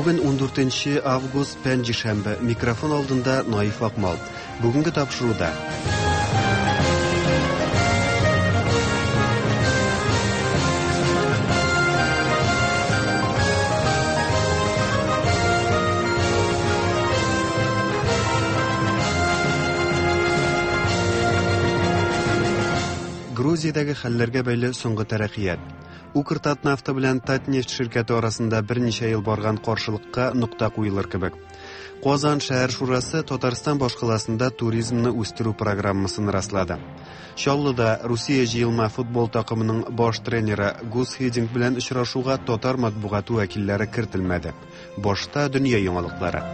Бүген 14 август, пәнҗешәмбе. Микрофон алдында Наиф Акмал. Бүгенге тапшыруда. Грузиядәге хәлләргә бәйле соңгы тәрәккыят. Укртатнафта белән Татнефть ширкәте арасында берничә ел барган каршылыкка нокта куелыр кебек. Казан шәһәр шурасы Татарстан башкаласында туризмны үстерү программасын раслады. Чаллыда Русия җыелма футбол такымының баш тренеры Гус Хидинг белән очрашуга татар матбугаты вәкилләре кертелмәде. Башта дөнья яңалыклары.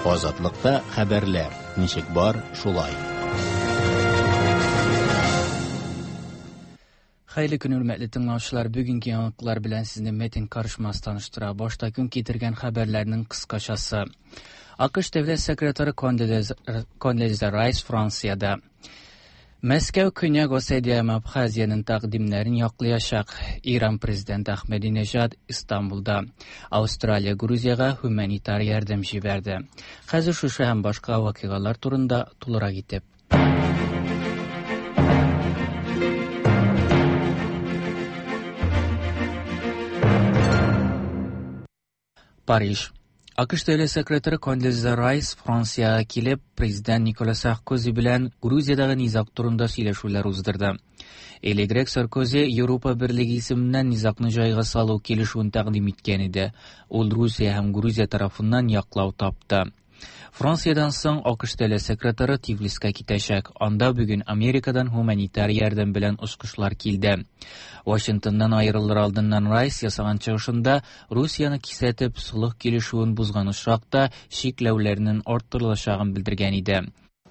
Азатлыкта хәбәрләр ничек бар, шулай. Хәерле көн, хөрмәтле тыңлаучылар. Бүгенге яңалыклар белән сезне Метин Карышмас таныштыра. Башта көн китергән хәбәрләрнең кыскачасы. АКШ дәүләт секретаре Кондолиза Райс Франциядә. Мәскәү Көньяк Осетия һәм Абхазиянең тәкъдимнәрен яклаячак. Иран президенты Ахмединежад Истанбулда. Австралия Грузиягә гуманитар ярдәм җибәрде. Хәзер шушы һәм башка вакыйгалар турында тулырак итеп. Париж. АКШ дәүләт секретаре Кондолиза Райс Франциягә килеп, президент Никола Саркози белән Грузиядәге низаг турында сөйләшүләр уздырды. Элегрәк Саркози Европа Берлеге исеменнән низагны җайга салу килешүен тәкъдим иткән иде. Ул Русия һәм Грузия тарафыннан яклау тапты. Франциядән соң АКШ дәүләт секретаре Тифлиска китәчәк. Анда бүген Америкадан гуманитар ярдәм белән очкычлар килде. Вашингтоннан аерылыр алдыннан Райс ясаган чыгышында Русияне кисәтеп, солых килешүен бозган очракта чикләүләрнең арттырылачагын белдергән иде.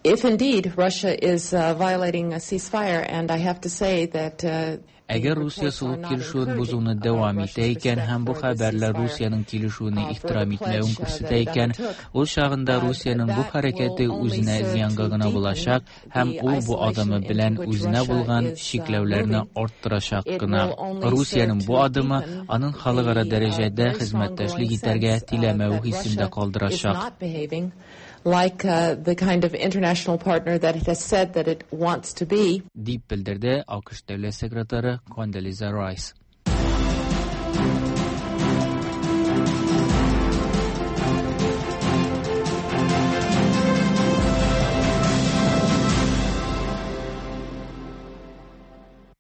If indeed Russia is violating a ceasefire, and I have to say that Әгәр Русия солых килешүен бозуны дәвам итә икән һәм бу хәбәрләр Русиянең килешүне ихтирам итмәвен күрсәтә икән, ул чагында Русиянең бу хәрәкәте үзенә зыянга гына булачак һәм ул бу адымы белән үзенә булган чикләүләрне арттырачак кына. Русиянең бу адымы аның халыкара дәрәҗәдә хезмәттәшлек итәргә теләмәве хисен дә калдырачак. Like the kind of international partner that it has said that it wants to be. Дип белдерде АКШ дәүләт секретаре Кондолиза Райс.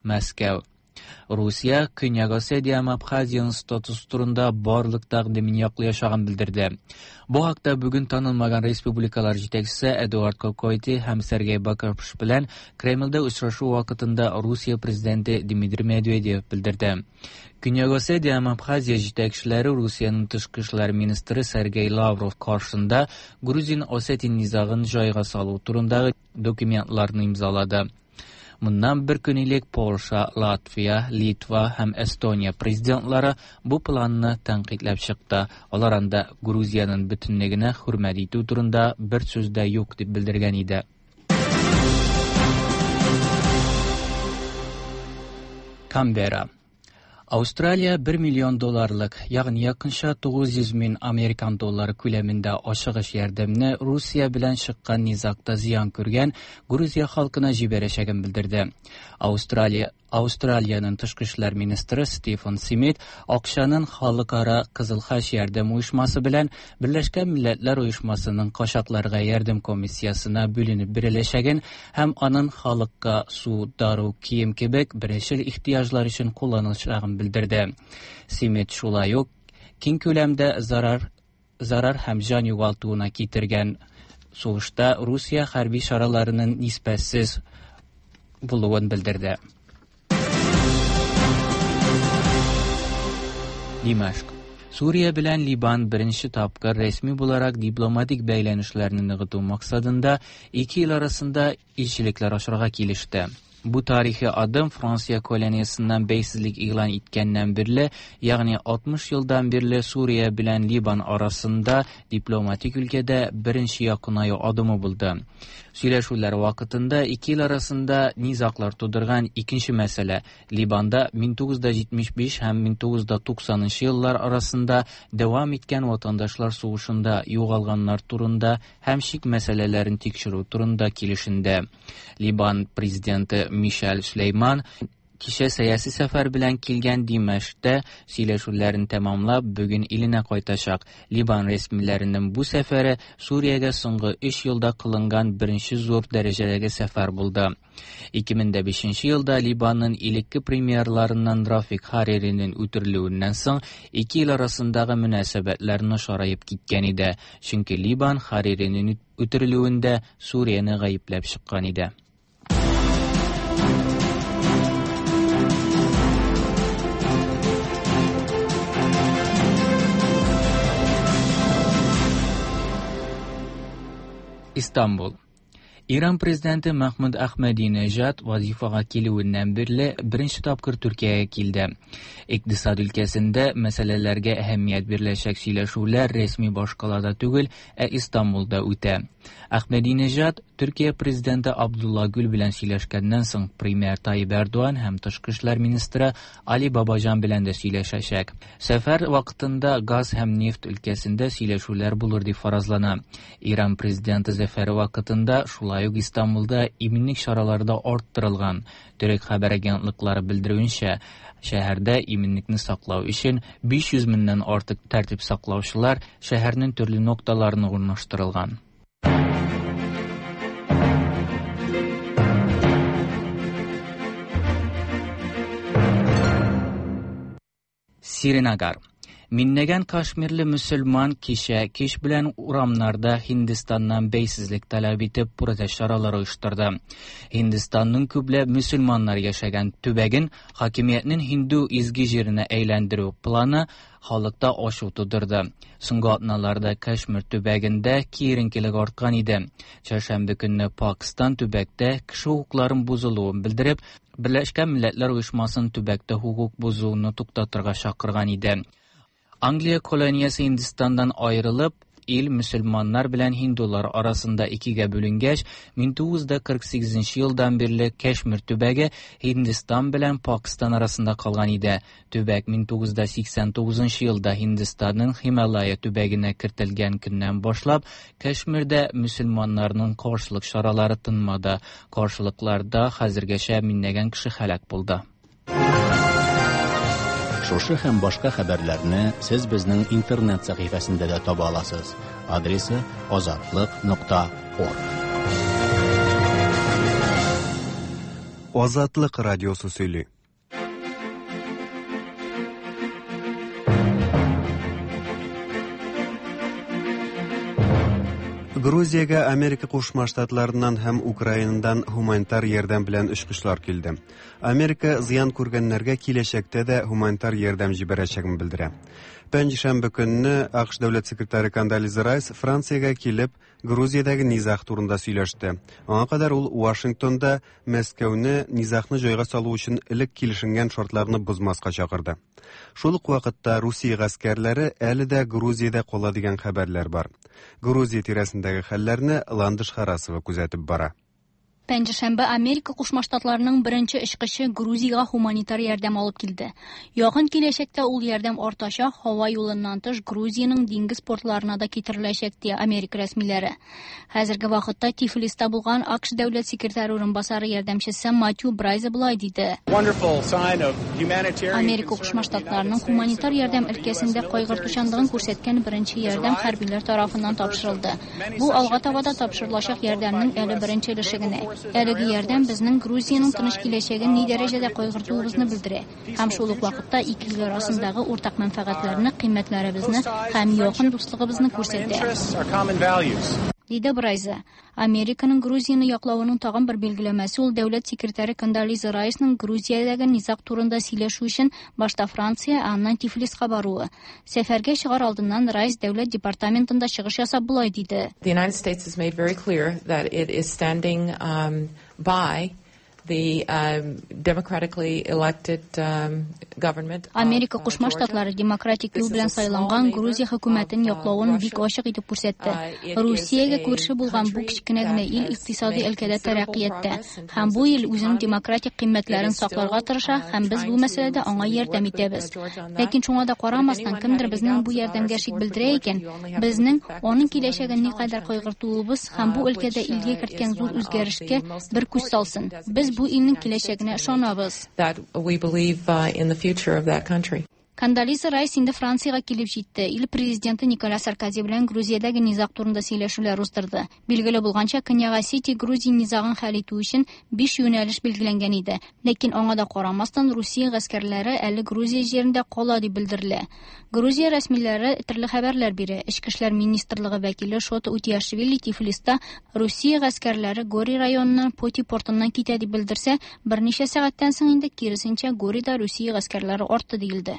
Мәскәү. Русия Көньяк Осетия һәм Абхазиянең статусы турында барлык тәкъдимен яклаячагын белдерде. Бу хакта бүген танылмаган республикалар җитәкчесе Эдуард Кокойти һәм Сергей Бакапш белән Кремльдә очрашу вакытында Русия президенты Дмитрий Медведев белдерде. Көньяк Осетия һәм Абхазия җитәкчеләре Русиянең тышкы эшләр министры Сергей Лавров каршында Грузин-Осетин низагын җайга салу турындагы документларны имзалады. Моннан бер көн элек Польша, Латвия, Литва һәм Эстония президентлары бу планны тәнкыйтьләп чыкты. Алар анда Грузиянең бөтенлегенә хөрмәт итү турында бер сүз дә юк дип белдергән иде. Канберра. Австралия 1 миллион долларлык, ягъни якынча 900 мең американ доллары күләмендә ашыгыч ярдәмне Русия белән чыккан низагта зыян күргән Грузия халкына җибәрәчәген белдерде. Австралия Австралиянең тышкы эшләр министры Стивен Смит акчаның Халыкара Кызыл Хач ярдәм оешмасы белән Берләшкән Милләтләр Оешмасының качакларга ярдәм комиссиясенә бүленеп биреләчәген һәм аның халыкка су, дару, кием кебек беренчел ихтыяҗлар өчен кулланылачагын белдерде. Смит шулай ук киң күләмдә зарар зарар һәм җан югалтуына китергән сугышта Русия хәрби чараларының нисбәтсез булуын белдерде. Димәшк. Сүрия белән Либан беренче тапкыр рәсми буларак дипломатик бәйләнешләрне ныгыту максатында ике ил арасында илчелекләр ачарга килеште. Бу тарихи адым Франция колониясеннән бәйсезлек игълан иткәннән бирле, ягъни 60 елдан бирле Сүрия белән Либан арасында дипломатик өлкәдә беренче якынаю адымы булды. Сөйләшүләр вакытында ике ил арасында низаглар тудырган икенче мәсьәлә Либанда 1975 һәм 1990 еллар арасында дәвам иткән ватандашлар сугышында югалганнар турында һәм чик мәсьәләләрен тикшерү турында килешенде. Либан президенты Мишель Сөләйман кичә сәяси сәфәр белән килгән Димәшктә сөйләшүләрен тәмамлап, бүген иленә кайтачак. Либан рәсмиләренең бу сәфәре Сүриягә соңгы 3 елда кылынган беренче зур дәрәҗәдәге сәфәр булды. 2005 елда Либанның элекке премьерларыннан Рафик Хариринең үтерелүеннән соң ике ил арасындагы мөнәсәбәтләр начараеп киткән иде, чөнки Либан Хариринең үтерелүендә Сүрияне гаепләп чыккан иде. Истанбул. Иран президенты Мәхмүд Әхмәдинежад вазифага килүеннән бирле беренче тапкыр Төркиягә килде. Икътисад өлкәсендә мәсьәләләргә әһәмият биреләчәк сөйләшүләр рәсми башкалада түгел, ә Истанбулда үтә. Әхмәдинежад Төркия президенты Абдулла Гүл белән сөйләшкәннән соң премьер Тайип Эрдоган һәм тышкы эшләр министры Али Бабаҗан белән дә сөйләшәчәк. Сәфәр вакытында газ һәм нефть өлкәсендә сөйләшүләр булыр дип фаразлана. Иран президенты сәфәре вакытында шулай ук Истанбулда иминлек чаралары да арттырылган. Төрек хәбәр агентлыклары белдерүенчә, шәһәрдә иминлекне саклау өчен 500 меңнән артык тәртип саклаучылар шәһәрнең төрле нокталарына урнаштырылган. Сринагар. Миңләгән кашмирле мөселман кичә кич белән урамнарда Һиндстаннан бәйсезлек таләп итеп протест чаралары оештырды. Һиндстанның күпләп мөселманнар яшәгән төбәген хакимиятнең һинду изге җиренә әйләндерү планы халыкта ачу тудырды. Соңгы атналарда Кашмир төбәгендә киеренкелек арткан иде. Чәршәмбе көнне Пакистан төбәктә кеше хокукларын бозылуын белдереп, Берләшкән Милләтләр Оешмасын төбәктә хокук бозуны туктатырга чакырган иде. Англия колониясе Һиндстаннан аерылып, ил мөселманнар белән һиндулар арасында икегә бүленгәч, 1948 елдан бирле Кашмир төбәге Һиндстан белән Пакистан арасында калган иде. Төбәк 1989 елда Һиндстанның Һималая төбәгенә кертелгән көннән башлап, Кашмирдә мөселманнарның каршылык чаралары тынмады. Каршылыкларда хәзергәчә миңләгән кеше һәлак булды. Шушы һәм башка хәбәрләрне сез безнең интернет сәхифәсендә дә таба аласыз. Адресы azatliq.org. Азатлык радиосы сөйли. Грузиягә Америка Кушма Штатларыннан һәм Украинадан гуманитар ярдәм белән очкычлар килде. Америка зыян күргәннәргә киләчәктә дә гуманитар ярдәм җибәрәчәген белдерә. Пәнҗешәмбе көнне АКШ дәүләт секретаре Кондолиза Райс Франциягә килеп, Грузиядәге низаг турында сөйләште. Аңа кадәр ул Вашингтонда Мәскәүне низагны җайга салу өчен элек килешенгән шартларны бозмаска чакырды. Шул ук вакытта Русия гаскәрләре әле дә Грузиядә кала дигән хәбәрләр бар. Грузия тирәсендәге хәлләрне Ландыш Харасова күзәтеп бара. Пәнҗешәмбе Америка Кушма Штатларының беренче очкычы Грузиягә гуманитар ярдәм алып килде. Якын киләчәктә ул ярдәм артачак, һава юлыннан тыш Грузиянең диңгез портларына да китереләчәк, ди Америка рәсмиләре. Хәзерге вакытта Тифлиста булган АКШ дәүләт секретаре урынбасары ярдәмчесе Матью Брайза болай диде. Америка Кушма Штатларының гуманитар ярдәм өлкәсендә кайгыртучанлыгын күрсәткән беренче ярдәм хәрбиләр тарафыннан тапшырылды. Бу алга таба да тапшырылачак ярдәмнең әле беренче өлеше генә. Әлеге ярдәм безнең Грузиянең тыныч киләчәген ни дәрәҗәдә кайгыртуыбызны белдерә. Һәм шул ук вакытта ике ил арасындагы уртак мәнфәгатьләрне, кыйммәтләребезне һәм якын дуслыгыбызны күрсәтә. Диде Брайза. Американың Грузияне яклавының тагын бер билгеләмәсе ул дәүләт секретаре Кондолиза Райсның Грузиядәге низаг турында сөйләшү өчен башта Франция, ә аннан Тифлиска баруы. Сәфәргә чыгар алдыннан Райс дәүләт департаментында чыгыш ясап болай диде. The United States has made very clear that it is standing by the democratically elected government. Америка Кушма Штатлары демократик юл белән сайланган Грузия хөкүмәтен яклавын бик ачык итеп күрсәтте. Русиягә күрше булган бу кечкенә генә ил икътисади өлкәдә тәрәккыятьтә һәм бу ил үзенең демократик кыйммәтләрен сакларга тырыша һәм без бу мәсьәләдә аңа ярдәм итәбез. Ләкин шуңа да карамастан, кемдер безнең бу ярдәмгә шик белдерә икән, безнең аның киләчәген никадәр кайгыртуыбыз һәм бу өлкәдә илгә керткән зур үзгәрешкә бер күз салсын. Без бу илнең киләчәгенә ышанабыз. That we believe in the future of that country. Кондолиза Райс инде Франциягә килеп җитте. Ил президенты Николя Саркози белән Грузиядәге низаг турында сөйләшүләр уздырды. Билгеле булганча, Көньяк Осетия Грузия низагын хәл итү өчен 5 юнәлеш билгеләнгән иде. Ләкин аңа да карамастан, Русия гаскәрләре әле Грузия җирендә кала дип белдерелә. Грузия рәсмиләре төрле хәбәрләр бирә. Эчке эшләр министрлыгы вәкиле Шота Утиашвили Тифлиста Русия гаскәрләре Гори районыннан Поти портыннан китә дип белдерсә, берничә сәгатьтән соң инде киресенчә Горида Русия гаскәрләре артты диелде.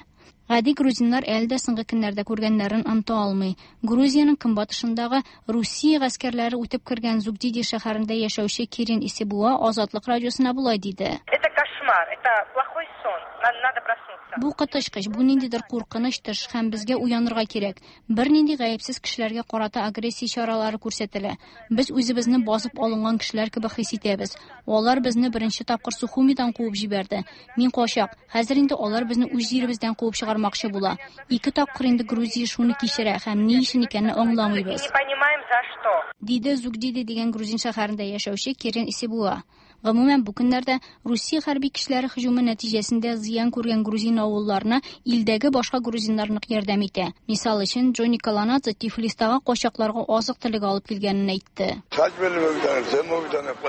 Гади грузиннар әле дә соңгы көннәрдә күргәннәрен оныта алмый. Грузиянең көнбатышындагы Русия гаскәрләре үтеп кергән Зугдиди шәһәрендә яшәүче Кирин Исебуа Азатлык радиосына болай диде. Это кошмар, это плохой сон, надо проснуться. Бу коточкыч, бу ниндидер куркыныч төш һәм безгә уянырга кирәк. Бернинди гаепсез кешеләргә карата агрессия чаралары күрсәтелә. Без үзебезне басып алынган кешеләр кебек хис итәбез. Алар безне беренче тапкыр Сухумидан куып җибәрде. Мин качак. Хәзер инде алар безне үз җиребездән куып чыгармакчы була. Ике тапкыр инде Грузия шуны кичерә һәм ни өчен икәнен аңламыйбыз. Не понимаем за что. Диде Зугдиди дигән грузин шәһәрендә яшәүче Кирин Исебуа. Гомумән, бу көннәрдә Русия хәрби көчләре һөҗүме нәтиҗәсендә зыян күргән грузин авылларына илдәге башка грузиннар нык ярдәм итә. Мисал өчен, Джонни Каланадзе Тифлистагы качакларга азык-төлек алып килгәнен әйтте.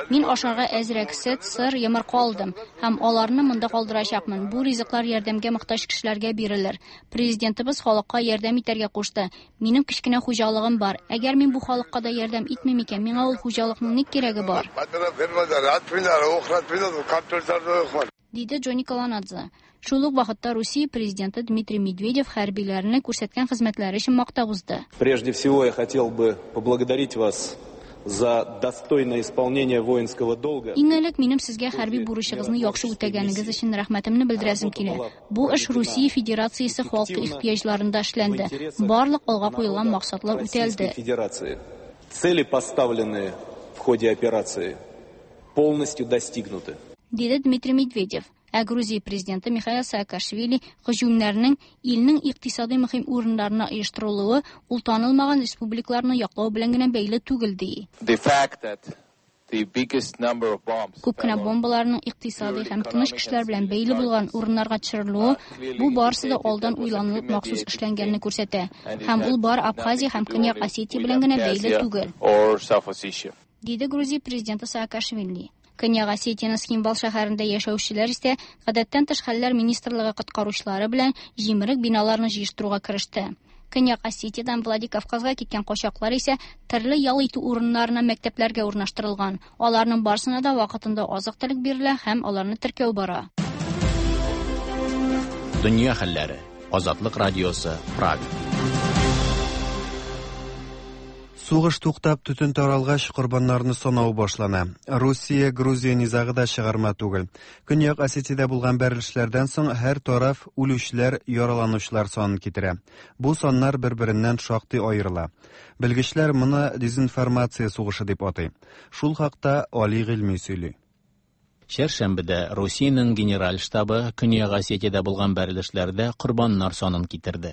Мин ашарга әзрәк сөт, сыр, йомырка алдым һәм аларны монда калдырачакмын. Бу ризыклар ярдәмгә мохтаҗ кешеләргә бирелер. Президентыбыз халыкка ярдәм итәргә кушты. Минем кечкенә хуҗалыгым бар. Әгәр мин бу халыкка да ярдәм итмим икән, миңа ул хуҗалыкның ни кирәге бар? Диде Джонни Каланадзе. Шул ук вакытта Русия президенты Дмитрий Медведев хәрбиләрне күрсәткән хезмәтләре өчен мактап узды. Прежде всего я хотел бы поблагодарить вас за достойное исполнение воинского долга. Иң элек минем сезгә хәрби бурычыгызны яхшы үтәгәнегез өчен рәхмәтемне белдерәсем килә. Бу эш Русия Федерациясе халкы ихтыяҗларында эшләнде. Барлык алга куелган максатлар үтәлде. Цели, поставленные в ходе операции, полностью достигнуты. Диде Дмитрий Медведев. Ә Грузия президенты Михаил Саакашвили һөҗүмнәрнең илнең икътисади мөһим урыннарына оештырылуы ул танылмаган республикаларны яклау белән генә бәйле түгел ди. Күп кенә бомбаларның икътисади һәм тыныч кешеләр белән бәйле булган урыннарга төшерелүе бу барысы да алдан уйланылып махсус эшләнгәнне күрсәтә. Һәм ул бар Абхазия һәм Көньяк Осетия белән генә бәйле түгел. Диде Грузия президенты Саакашвили. Көньяк Осетияның Цхинвал шәһәрендә яшәүчеләр исә гадәттән тыш хәлләр министрлыгы коткаручылары белән җимерек биналарны җыештыруга кереште. Көньяк Осетиядан Владикавказга киткән качаклар исә төрле ял итү урыннарына, мәктәпләргә урнаштырылган. Аларның барысына да вакытында азык-төлек бирелә һәм аларны теркәү бара. Дөнья хәлләре. Азатлык радиосы, Прага. Сугыш туктап, төтен таралгач, корбаннарны санау башлана. Русия, Грузия низагы да чыгарма түгел. Көньяк Осетиядә булган бәрелешләрдән соң һәр тараф үлүчеләр, яраланучылар санын китерә. Бу саннар бер-береннән шактый аерыла. Белгечләр моны дезинформация сугышы дип атый. Шул хакта Али Гыйльми сөйли. Чәршәмбедә Русиянең генераль штабы Көньяк Осетиядә булган бәрелешләрдә корбаннар санын китерде.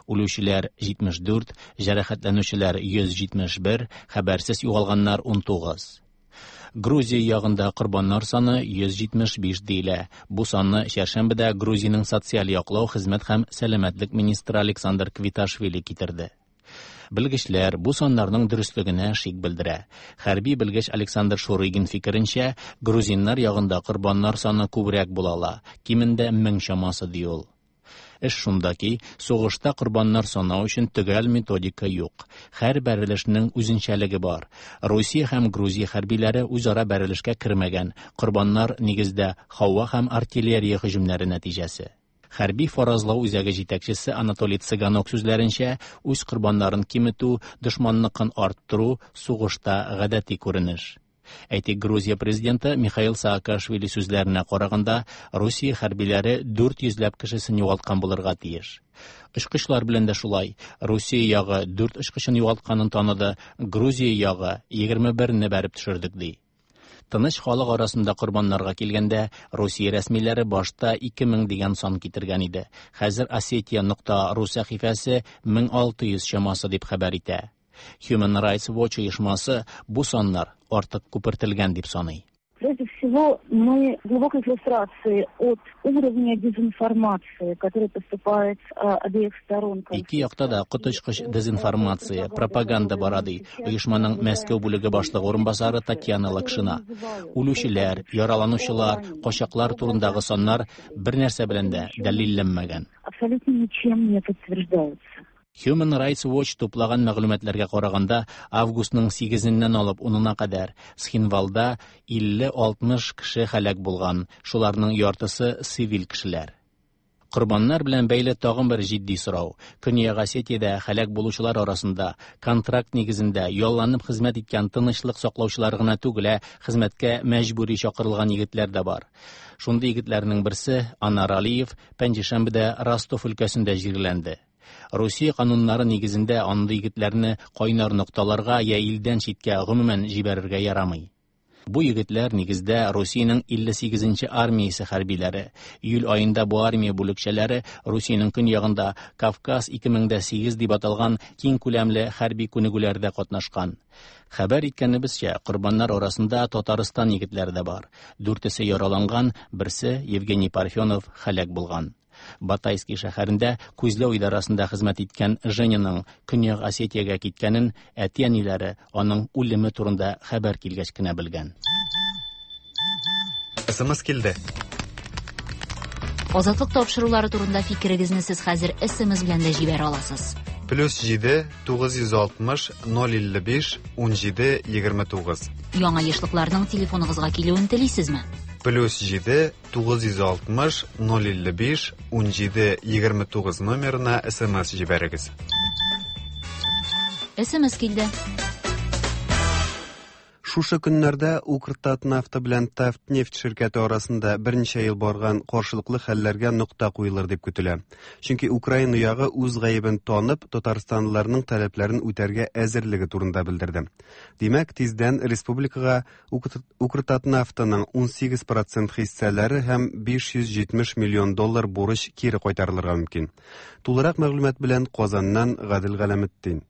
Үлүчеләр 74, җәрәхәтләнүчеләр 171, хәбәрсез югалганнар 19. Грузия ягында корбаннар саны 175 диелә. Бу санны чәршәмбедә Грузиянең социаль яклау, хезмәт һәм сәламәтлек министры Александр Квиташвили китерде. Белгечләр бу саннарның дөреслегенә шик белдерә. Хәрби белгеч Александр Шурыгин фикеренчә, грузиннар ягында корбаннар саны күбрәк була ала, кимендә 1000 чамасы ди ул. Эш шунда ки, сугышта корбаннар санау өчен төгәл методика юк. Һәр бәрелешнең үзенчәлеге бар. Русия һәм Грузия хәрбиләре үзара бәрелешкә кермәгән. Корбаннар нигездә һава һәм артиллерия һөҗүмнәре нәтиҗәсе. Хәрби фаразлау үзәге җитәкчесе Анатолий Цыганок сүзләренчә, үз корбаннарын киметү, дошманныкын арттыру сугышта гадәти күренеш. Әйтик, Грузия президенты Михаил Саакашвили сүзләренә караганда, Русия хәрбиләре 400 ләп кешесен югалткан булырга тиеш. Очкычлар белән дә шулай. Русия ягы 4 очкычын югалтканын таныды, Грузия ягы 21-не бәреп төшердек ди. Тыныч халык арасында корбаннарга килгәндә, Русия рәсмиләре башта 2000 дигән сан китергән иде. Хәзер Осетия.ру сәхифәсе 1600 чамасы дип хәбәр итә. Human Rights Watch оешмасы бу саннар артык күпертелгән дип саный. Прежде всего, мы в глубокой фрустрации от уровня дезинформации, которая поступает обеих сторон. Ике якта да коточкыч дезинформация, пропаганда бара, ди оешманың Мәскәү бүлеге башлыгы урынбасары Татьяна Лакшина. Үлүчеләр, яраланучылар, качаклар турындагы саннар бер нәрсә белән дә дәлилләнмәгән. Абсолютно ничем не подтверждаются. Human Rights Watch туплаган мәгълүматларга караганда, августның 8-ннән алып 10-на кадәр Схинвалда 50-60 кеше һәлак булган, шуларның яртысы цивиль кешеләр. Корбаннар белән бәйле тагын бер җитди сорау. Көньяк Осетиядә һәлак булучылар арасында контракт нигезендә ялланып хезмәт иткән тынычлык саклаучылар гына түгел, ә хезмәткә мәҗбүри чакырылган егетләр дә бар. Шундый егетләрнең берсе Анар Алиев пәнҗешәмбедә Ростов өлкәсендә җирләнде. Русия кануннары нигезендә андый егетләрне кайнар нокталарга я илдән читкә гомумән җибәрергә ярамый. Бу егетләр нигездә Русиянең 58-нче армиясе хәрбиләре. Июль аенда бу армия бүлекчәләре Русиянең көньягында Кавказ 2008 дип аталган киң күләмле хәрби күнегүләрдә катнашкан. Хәбәр иткәнебезчә, корбаннар арасында Татарстан егетләре дә бар. Дүртесе яраланган, берсе Евгений Парфенов һәлак булган. Батайский шәһәрендә күзләү идарасында хезмәт иткән Женяның Көньяк Осетиягә киткәнен әти-әниләре аның үлеме турында хәбәр килгәч кенә белгән. СМС килде. Азатлык тапшырулары турында фикерегезне сез хәзер СМС белән дә җибәрә аласыз. Плюс 7 960 055 17 29. Яңа ешлыкларның телефоныгызга килүен телисезме? Плюс 7 960 055 17 29 номерына СМС җибәрегез. СМС килде. Шушы көннәрдә Укртатнафта белән Татнефть ширкәте арасында берничә ел барган каршылыклы хәлләргә нокта куелыр дип көтелә. Чөнки Украина ягы үз гаебен танып, татарстанлыларның таләпләрен үтәргә әзерлеге турында белдерде. Димәк, тиздән республикага Укртатнафтаның 18% хиссәләре һәм 570 миллион доллар бурыч кире кайтарылырга мөмкин. Тулырак мәгълүмат белән Казаннан Гадел Галәметдин.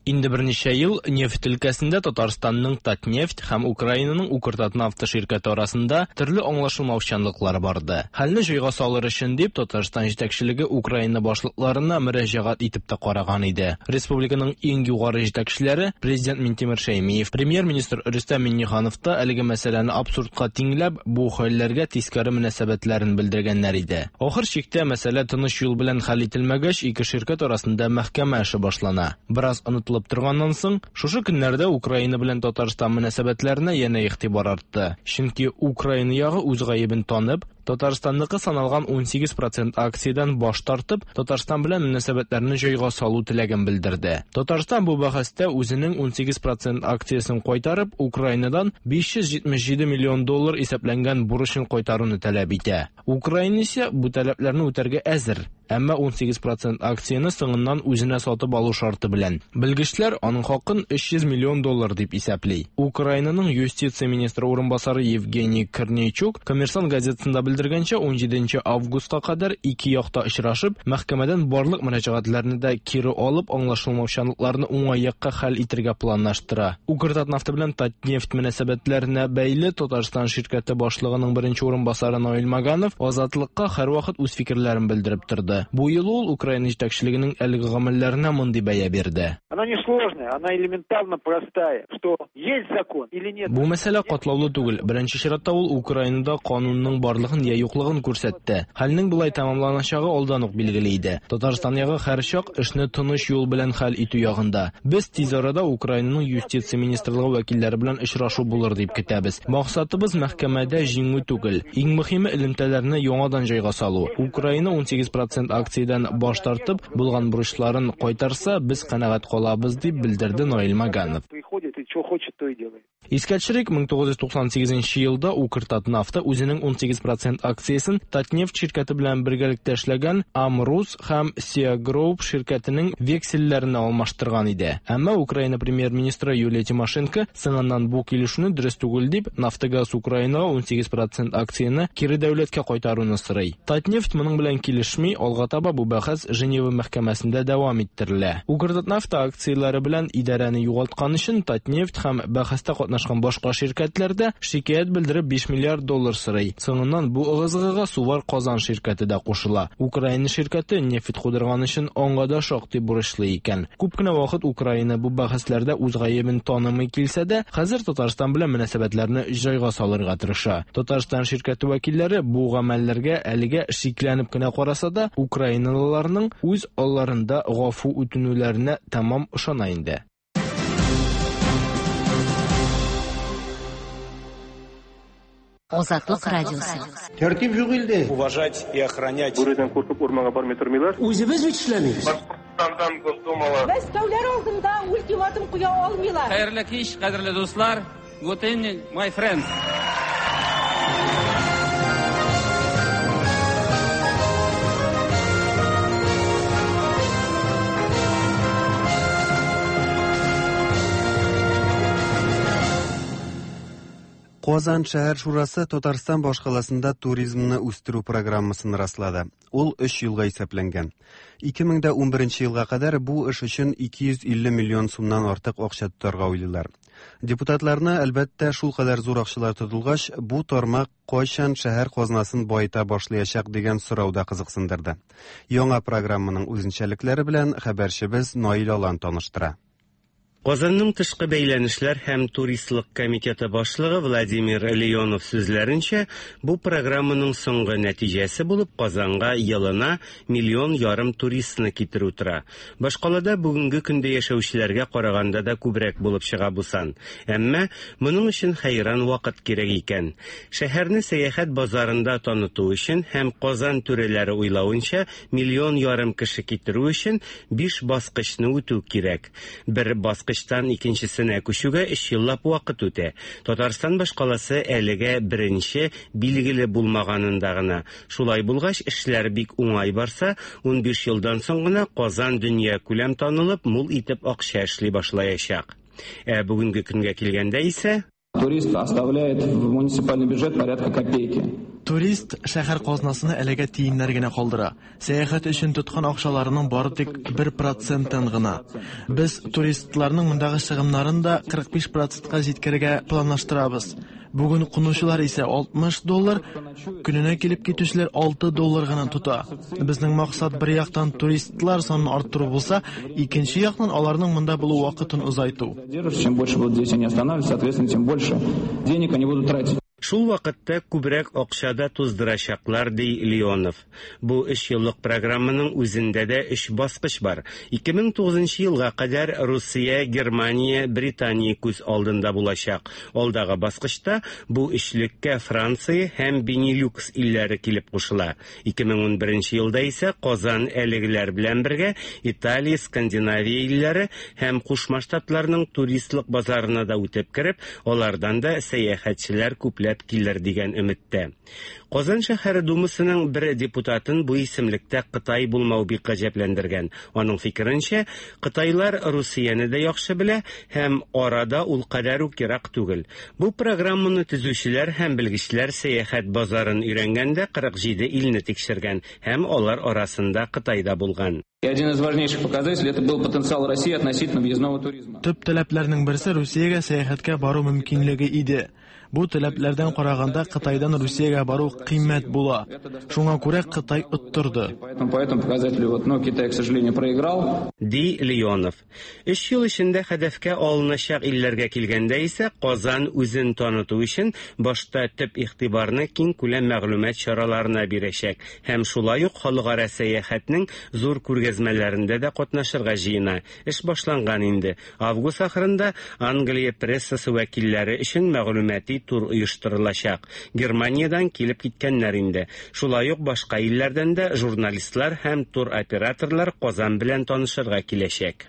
Инде берничә ел нефть өлкәсендә Татарстанның Татнефть һәм Украинаның Укртатнафта ширкәте арасында төрле аңлашылмаучанлыклар барды. Хәлне җайга салыр өчен дип Татарстан җитәкчелеге Украина башлыкларына мөрәҗәгать итеп тә караган иде. Республиканың иң югары җитәкчеләре президент Минтимер Шәймиев, премьер-министр Рөстәм Миңнеханов та әлеге мәсьәләне абсурдка тиңләп, бу хәлләргә тискәре мөнәсәбәтләрен белдергәннәр иде. Ахыр чиктә мәсьәлә тыныч юл белән хәл ителмәгәч, ике ширкәт арасында мәхкәмә эше башлана. Бераз онытылып торганнан соң, шушы көннәрдә Украина белән Татарстан мөнәсәбәтләренә янә игътибар артты. Чөнки Украина ягы үз гаебен танып, Татарстанныкы саналган 18% акциядән баш тартып, Татарстан белән мөнәсәбәтләрне җайга салу теләген белдерде. Татарстан бу бәхәстә үзенең 18% акциясен кайтарып, Украинадан 577 миллион доллар исәпләнгән бурычын кайтаруны таләп итә. Украина исә бу таләпләрне үтәргә әзер, әмма 18% акцияне соңыннан үзенә сатып алу шарты белән. Белгечләр аның хакын 300 миллион доллар дип исәпли. Украинаның юстиция министры урынбасары Евгений Корнейчук Коммерсант газетасында белдергәнчә, 17 августка кадәр ике якта очрашып, мәхкәмәдән барлык мөрәҗәгатьләрне дә кире алып, аңлашылмаучанлыкларны уңай якка хәл итәргә планлаштыра. Укртатнафта белән Татнефть мөнәсәбәтләренә бәйле Татарстан ширкәте башлыгының беренче урынбасары Наил Маганов Азатлыкка һәрвакыт үз фикерләрен белдереп торды. Бу юлы ул Украина җитәкчелегенең әлеге гамәлләренә мондый бәя бирде. Она не сложная, она элементарно простая, что есть закон или нет. Бу мәсьәлә катлаулы түгел. Беренче чиратта ул Украинада канунның барлыгын я юклыгын күрсәтте. Хәлнең болай тәмамланачагы алдан ук билгеле иде. Татарстан ягы һәрчак эшне тыныч юл белән хәл итү ягында. Без тиз арада Украинаның юстиция министрлыгы вәкилләре белән очрашу булыр дип көтәбез. Максатыбыз мәхкәмәдә җиңү түгел. Иң мөһиме элемтәләрне яңадан җайга салу. Украина 18% акциядән баш тартып, булган бурычларын кайтарса, без канәгать калабыз дип белдерде Наил Маганов. Приходит и что хочет, то и делает. Искә төшерик, 1998 нче елда Укртатнафта үзенең 18 процент акциясен Татнефть ширкәте белән бергәлектә эшләгән Амрус һәм Сиагроуп ширкәтенең вексельләренә алмаштырган иде. Әмма Украина премьер-министры Юлия Тимошенко соңыннан бу килешүне дөрес түгел дип, Нафтогаз Украинага 18 процент акцияне кире дәүләткә кайтаруны сорый. Татнефть моның белән килешми, алга таба бу бәхәс Женева мәхкәмәсендә дәвам иттерелә. Укртатнафта акцияләре белән идарәне югалткан өчен Татнефть һәм бәхәстә катнашкан башка ширкәтләр дә шикаять белдереп 5 миллиард доллар сорый. Соңыннан бу ыгы-зыгыга Сувар Казан ширкәте дә кушыла. Украина ширкәте нефть кудырган өчен аңа да шактый бурычлы икән. Күп кенә вакыт Украина бу бәхәсләрдә үз гаебен танымый килсә дә, хәзер Татарстан белән мөнәсәбәтләрне җайга салырга тырыша. Татарстан ширкәте вәкилләре бу гамәлләргә әлегә шикләнеп кенә караса да, украиналыларның үз алларында гафу үтенүләренә тәмам ышана инде. Азатлык радиосы. Тәртип юк илдә. Уважать и охранять. Бүредән куркып урманга бармый тормыйлар. Үзебез бит эшләмибез. Башкортстандан Госдумала. Мәскәүләр алдында ультиматум куя алмыйлар. Хәерле кич, кадерле дуслар. Good evening, my friends. Казан шәһәр шурасы Татарстан башкаласында туризмны үстерү программасын раслады. Ул өч елга исәпләнгән. 2011 елга кадәр бу эш өчен 250 миллион сумнан артык акча тотарга уйлыйлар. Депутатларны, әлбәттә, шулкадәр зур акчалар тотылгач, бу тармак кайчан шәһәр казнасын баета башлаячак дигән сорау да кызыксындырды. Яңа программаның үзенчәлекләре белән хәбәрчебез Наил Алан таныштыра. Казанның тышкы бәйләнешләр һәм туристлык комитеты башлыгы Владимир Леонов сүзләренчә, бу программаның соңгы нәтиҗәсе булып Казанга елына миллион ярым туристны китерү тора. Башкалада бүгенге көндә яшәүчеләргә караганда да күбрәк булып чыга бу сан. Әмма моның өчен хәйран вакыт кирәк икән. Шәһәрне сәяхәт базарында таныту өчен һәм Казан түрәләре уйлавынча, миллион ярым кеше китерү өчен биш баскычны үтү кирәк. Бер баскычтан икенчесенә күчүгә өч еллап вакыт үтә. Татарстан башкаласы әлегә беренче билгеле булмаганында гына. Шулай булгач, эшләр бик уңай барса, 15 елдан соң гына Казан дөнья күләм танылып, мул итеп акча эшли башлаячак. Ә бүгенге көнгә килгәндә исә Турист оставляет в муниципальный бюджет порядка копейки. Турист шәһәр казнасына әлегә тиеннәр генә калдыра. Сәяхәт өчен тоткан акчаларының бары тик 1 процентын гына. Без туристларның мондагы чыгымнарын да 45 процентка җиткерергә планлаштырабыз. Бүген кунучылар исә 60 доллар, көненә килеп китүчеләр 6 доллар гына тота. Безнең максат бер яктан туристлар санын арттыру булса, икенче яктан аларның монда булу вакытын озайту. Чем больше будут здесь они останавливаться, соответственно, тем больше денег они будут тратить. Шул вакытта күбрәк акча да туздырачаклар, ди Леонов. Бу өч еллык программаның үзендә дә өч баскыч бар. 2009 елга кадәр Русия, Германия, Британия күз алдында булачак. Алдагы баскычта бу өчлеккә Франция һәм Бенилюкс илләре килеп кушыла. 2011 елда исә Казан әлегеләр белән бергә Италия, Скандинавия илләре һәм Кушма Штатларның туристлык базарына да үтеп кереп, алардан да сәяхәтчеләр күпләп килер дигән өметтә. Казан шәһәре Думасының бер депутатын бу исемлектә Кытай булмау бик гаҗәпләндергән. Аның фикеренчә, кытайлар Русияне дә яхшы белә һәм арада ул кадәр үк ерак түгел. Бу программаны төзүчеләр һәм белгечләр сәяхәт базарын өйрәнгәндә 47 илне тикшергән һәм алар арасында Кытай да булган. И один из важнейших показателей это был потенциал России относительно въездного туризма. Төп таләпләрнең берсе Русиягә сәяхәткә бару мөмкинлеге иде. Бу таләпләрдән караганда Кытайдан Русиягә бару кыйммәт була. Шуңа күрә Кытай оттырды. Поэтому по этому показателю вот, но Китай, к сожалению, проиграл. Ди Леонов. Өч ел эчендә һәдәфкә алыначак илләргә килгәндә исә Казан үзен таныту өчен башта төп игътибарны киң күләм мәгълүмат чараларына бирәчәк һәм шулай ук халыкара сәяхәтнең зур күргәзмәләрендә дә катнашырга җыена. Эш башланган инде. Август ахырында Англия прессасы вәкилләре өчен мәгълүмати тур оештырылачак. Германиядән килеп киткәннәр инде. Шулай ук башка илләрдән дә журналистлар һәм туроператорлар Казан белән танышырга киләчәк.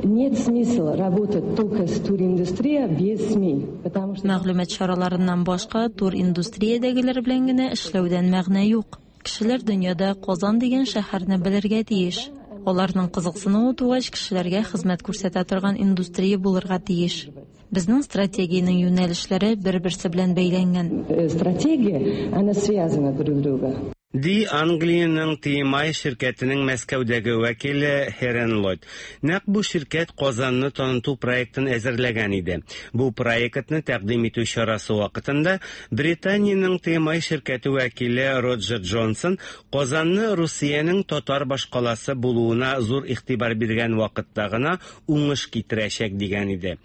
Нет смысла работать только с туриндустрия без СМИ, потому что... Мәгълүмат чараларыннан башка туриндустриядәгеләр белән генә эшләүдән мәгънә юк. Кешеләр дөньяда Казан дигән шәһәрне белергә тиеш. Аларның кызыксынуы тугач, кешеләргә хезмәт күрсәтә торган индустрия булырга тиеш. Безнең стратегиянең юнәлешләре бер-берсе белән бәйләнгән. Стратегия, она связана друг с другом. Ди Англиянең TMI ширкәтенең Мәскәүдәге вәкиле Херен Ллойд. Нәкъ бу ширкәт Казанны таныту проектын әзерләгән иде. Бу проектны тәкъдим итү чарасы вакытында Британиянең TMI ширкәте вәкиле Роджер Джонсон Казанны Русиянең татар башкаласы булуына зур игътибар биргән вакытта гына уңыш китерәчәк дигән иде.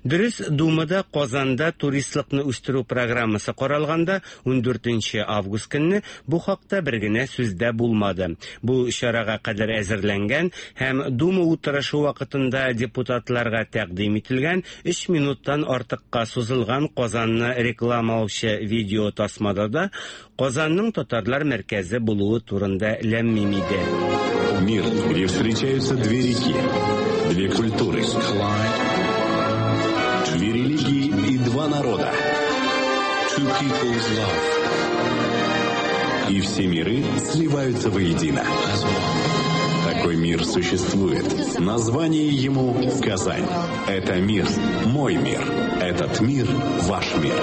Дөрес, Думада Казанда туристлыкны үстерү программасы каралганда 14 август көнне бу хакта бер генә сүз дә булмады. Бу чарага кадәр әзерләнгән һәм Дума утырышы вакытында депутатларга тәкъдим ителгән 3 минуттан артыкка сузылган Казанны рекламалаучы видео тасмада да Казанның татарлар мәркәзе булуы турында ләм-мим иде. Мир, где встречаются две реки, две культуры, две религии и два народа. Two people's love. И все миры сливаются воедино. Такой мир существует. Название ему Казань. Это мир, мой мир. Этот мир ваш мир.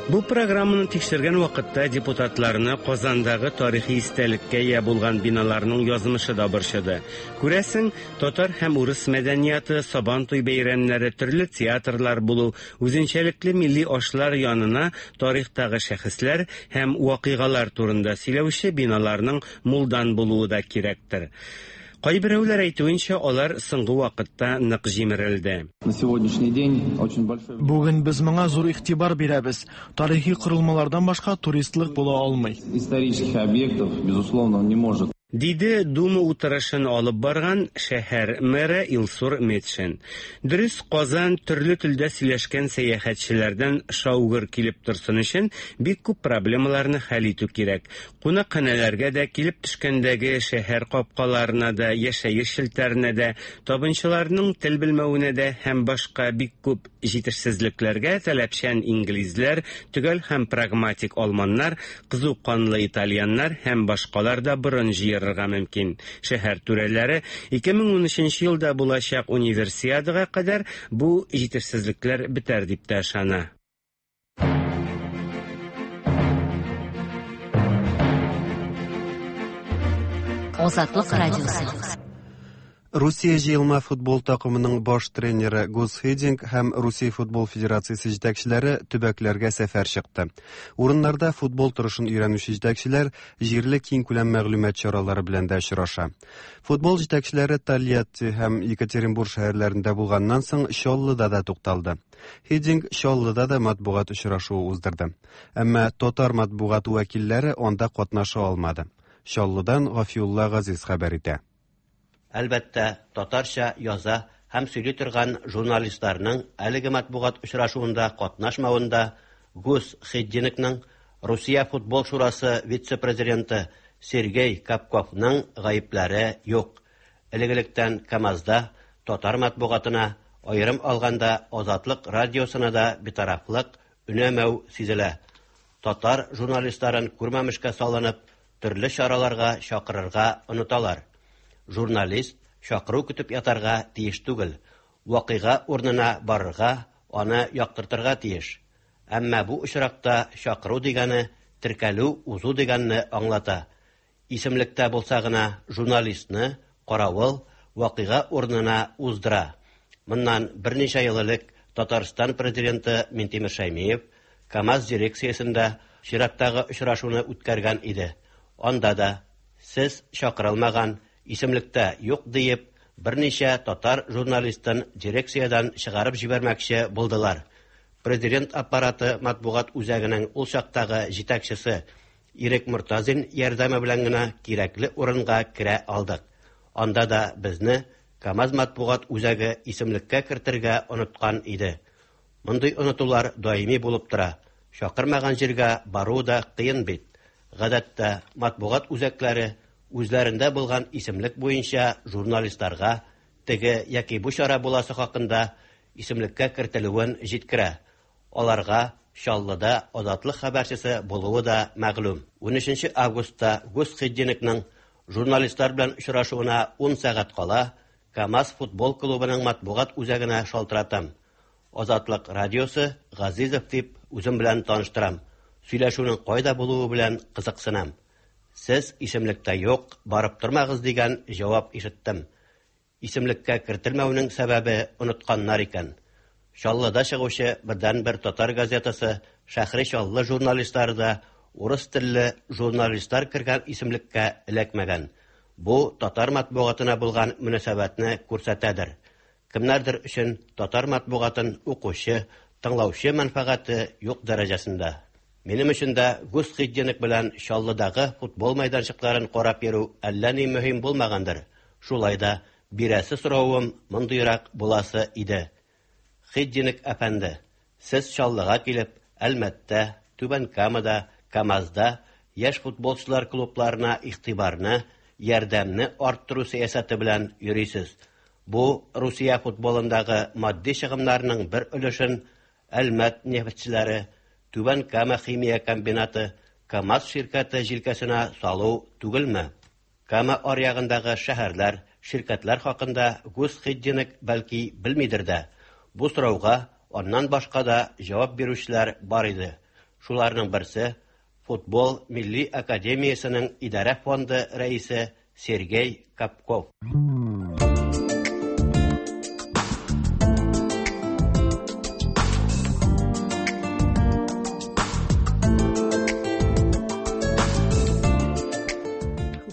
Бу программаны тикшергән вакытта депутатларны Казандагы тарихи истәлеккә ия булган биналарның язмышы да борчыды. Күрәсең, татар һәм урыс мәдәнияты, Сабантуй бәйрәмнәре, төрле театрлар булу, үзенчәлекле милли ашлар янына тарихтагы шәхесләр һәм вакыйгалар турында сөйләүче биналарның мулдан булуы да кирәктер. Кайберәүләр әйтүенчә, алар соңгы вакытта нык җимерелде. На сегодняшний день очень большой... Бүген без моңа зур игътибар бирәбез. Тарихи корылмалардан башка туристлык була алмый. Исторических объектов, безусловно, он не может. Диде Дума утырышын алып барган шәһәр мэры Илсур Метшин. Дөрес, Казан төрле телдә сөйләшкән сәяхәтчеләрдән шау-гөр килеп торсын өчен бик күп проблемаларны хәл итү кирәк. Кунакханәләргә дә, килеп төшкәндәге шәһәр капкаларына да, яшәеш челтәренә дә, табынчыларның тел белмәвенә дә һәм башка бик күп җитешсезлекләргә таләпчән инглизләр, төгәл һәм прагматик алманнар, кызу канлы итальяннар һәм башкалар да борын җыерырга мөмкин. Шәһәр түрәләре 2013 елда булачак Универсиадага кадәр бу җитешсезлекләр бетәр дип тә ышана. Азатлык радиосы. Русия җыелма футбол такымының баш тренеры Гус Хидинг һәм Русия футбол федерациясе җитәкчеләре төбәкләргә сәфәр чыкты. Урыннарда футбол торышын өйрәнүче җитәкчеләр җирле киңкүләм мәгълүмат чаралары белән дә очраша. Футбол җитәкчеләре Тольятти һәм Екатеринбург шәһәрләрендә булганнан соң Чаллыда да тукталды. Хидинг Чаллыда да матбугат очрашуы уздырды. Әмма татар матбугаты вәкилләре анда катнаша алмады. Чаллыдан Гафиулла Газиз хәбәр итә. Әлбәттә, татарча яза һәм сөйли торган журналистларның әлеге матбугат очрашуында катнашмавында Гус Хиддингның, Русия футбол шурасы вице-президенты Сергей Капковның гаепләре юк. Элек-электән КАМАЗда татар матбугатына, аерым алганда Азатлык радиосына да битарафлык, өнәмәү сизелә. Татар журналистларын күрмәмешкә салынып, төрле чараларга чакырырга оныталар. Журналист чакыру көтеп ятарга тиеш түгел, вакыйга урынына барырга, аны яктыртырга тиеш. Әмма бу очракта чакыру дигәне теркәлү узу дигәнне аңлата. Исемлектә булса гына журналистны каравыл вакыйга урынына уздыра. Моннан берничә ел элек Татарстан президенты Минтимер Шәймиев КАМАЗ дирекциясендә чираттагы очрашуны үткәргән иде. Анда да сез чакырылмаган, исемлектә юк диеп, берничә татар журналистын дирекциядән чыгарып җибәрмәкче булдылар. Президент аппараты матбугат үзәгенең ул чактагы җитәкчесе Ирек Мортазин ярдәме белән генә кирәкле урынга керә алдык. Анда да безне КАМАЗ матбугат үзәге исемлеккә кертергә оныткан иде. Мондый онытулар даими булып тора. Чакырмаган җиргә бару да кыен бит. Гадәттә, матбугат үзәкләре үзләрендә булган исемлек буенча журналистларга теге яки бу чара буласы хакында исемлеккә кертелүен җиткерә. Аларга Чаллыда Азатлык хәбәрчесе булуы да мәгълүм. 13 августта Гус Хиддинкның журналистлар белән очрашуына 10 сәгать кала КАМАЗ футбол клубының матбугат үзәгенә шалтыратам. Азатлык радиосы Газизов дип үзем белән таныштырам. Сөйләшүнең кайда булуы белән кызыксынам. Сез исемлектә юк, барып тормагыз дигән җавап ишеттем. Исемлеккә кертелмәүнең сәбәбе онытканнар икән. Чаллыда чыгучы бердәнбер татар газетасы Шәһри Чаллы журналистлары да урыс телле журналистлар кергән исемлеккә эләкмәгән. Бу татар матбугатына булган мөнәсәбәтне күрсәтәдер. Кемнәрдер өчен татар матбугатын укучы, тыңлаучы мәнфәгате юк дәрәҗәсендә. Минем өчен дә Гус Хиддинк белән Чаллыдагы футбол мәйданчыкларын карап йөрү әллә ни мөһим булмагандыр. Шулай да бирәсе соравым мондыйрак буласы иде. Хиддинк әфәнде, сез Чаллыга килеп, Әлмәттә, Түбән Камада, КАМАЗда яшь футболчылар клубларына игътибарны, ярдәмне арттыру сәясәте белән йөрисез. Бу Русия футболындагы матди чыгымнарның бер өлешен Әлмәт нефтьчеләре, Түбән Кама химия комбинаты, КАМАЗ ширкәте җилкәсенә салу түгелме? Кама аръягындагы шәһәрләр, ширкәтләр хакында Гус Хиддинк бәлки белмидер дә. Бу сорауга аннан башка да җавап бирүчеләр бар иде. Шуларның берсе Футбол милли академиясенең идарә фонды рәисе Сергей Капков.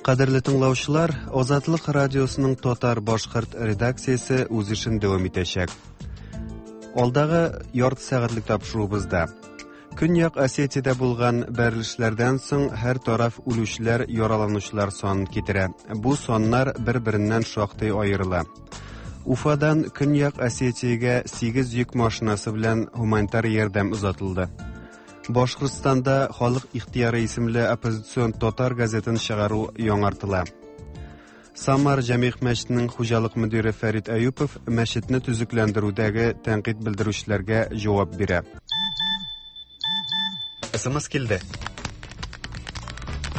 Кадерле тыңлаучылар, Азатлык радиосының татар-башкорт редакциясе үз эшен дәвам итәчәк. Алдагы ярты сәгатьлек тапшыруыбызда Көньяк Осетиядә булган бәрелешләрдән соң һәр тараф үлүчеләр, яраланучылар санын китерә. Бу саннар бер-береннән шактый аерыла. Уфадан Көньяк Осетиягә 8 йөк машинасы белән гуманитар ярдәм озатылды. Башкортстанда Халык ихтыяры исемле оппозицион татар газетын чыгару яңартыла. Самар Җәмигъ мәчетенең хуҗалык мөдире Фәрит Әюпов мәчетне төзекләндерүдәге тәнкыйть белдерүчеләргә җавап бирә. СМС килде.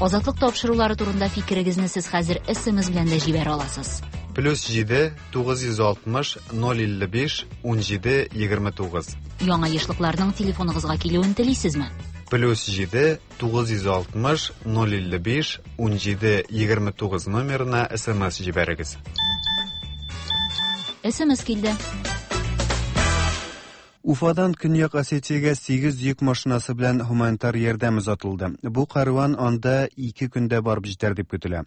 Азатлык тапшырулары турында фикерегезне сез хәзер СМС белән дә җибәрә аласыз. Плюс 7 960 055 17 29. Яңа ешлыкларның телефоныгызга килүен телисезме? Плюс 7 960 055 17 29 номерына СМС җибәрегез. СМС килде. Уфадан Көньяк Осетиягә 8 йөк машинасы белән гуманитар ярдәм озатылды. Бу карван анда 2 көндә барып җитәр дип көтелә.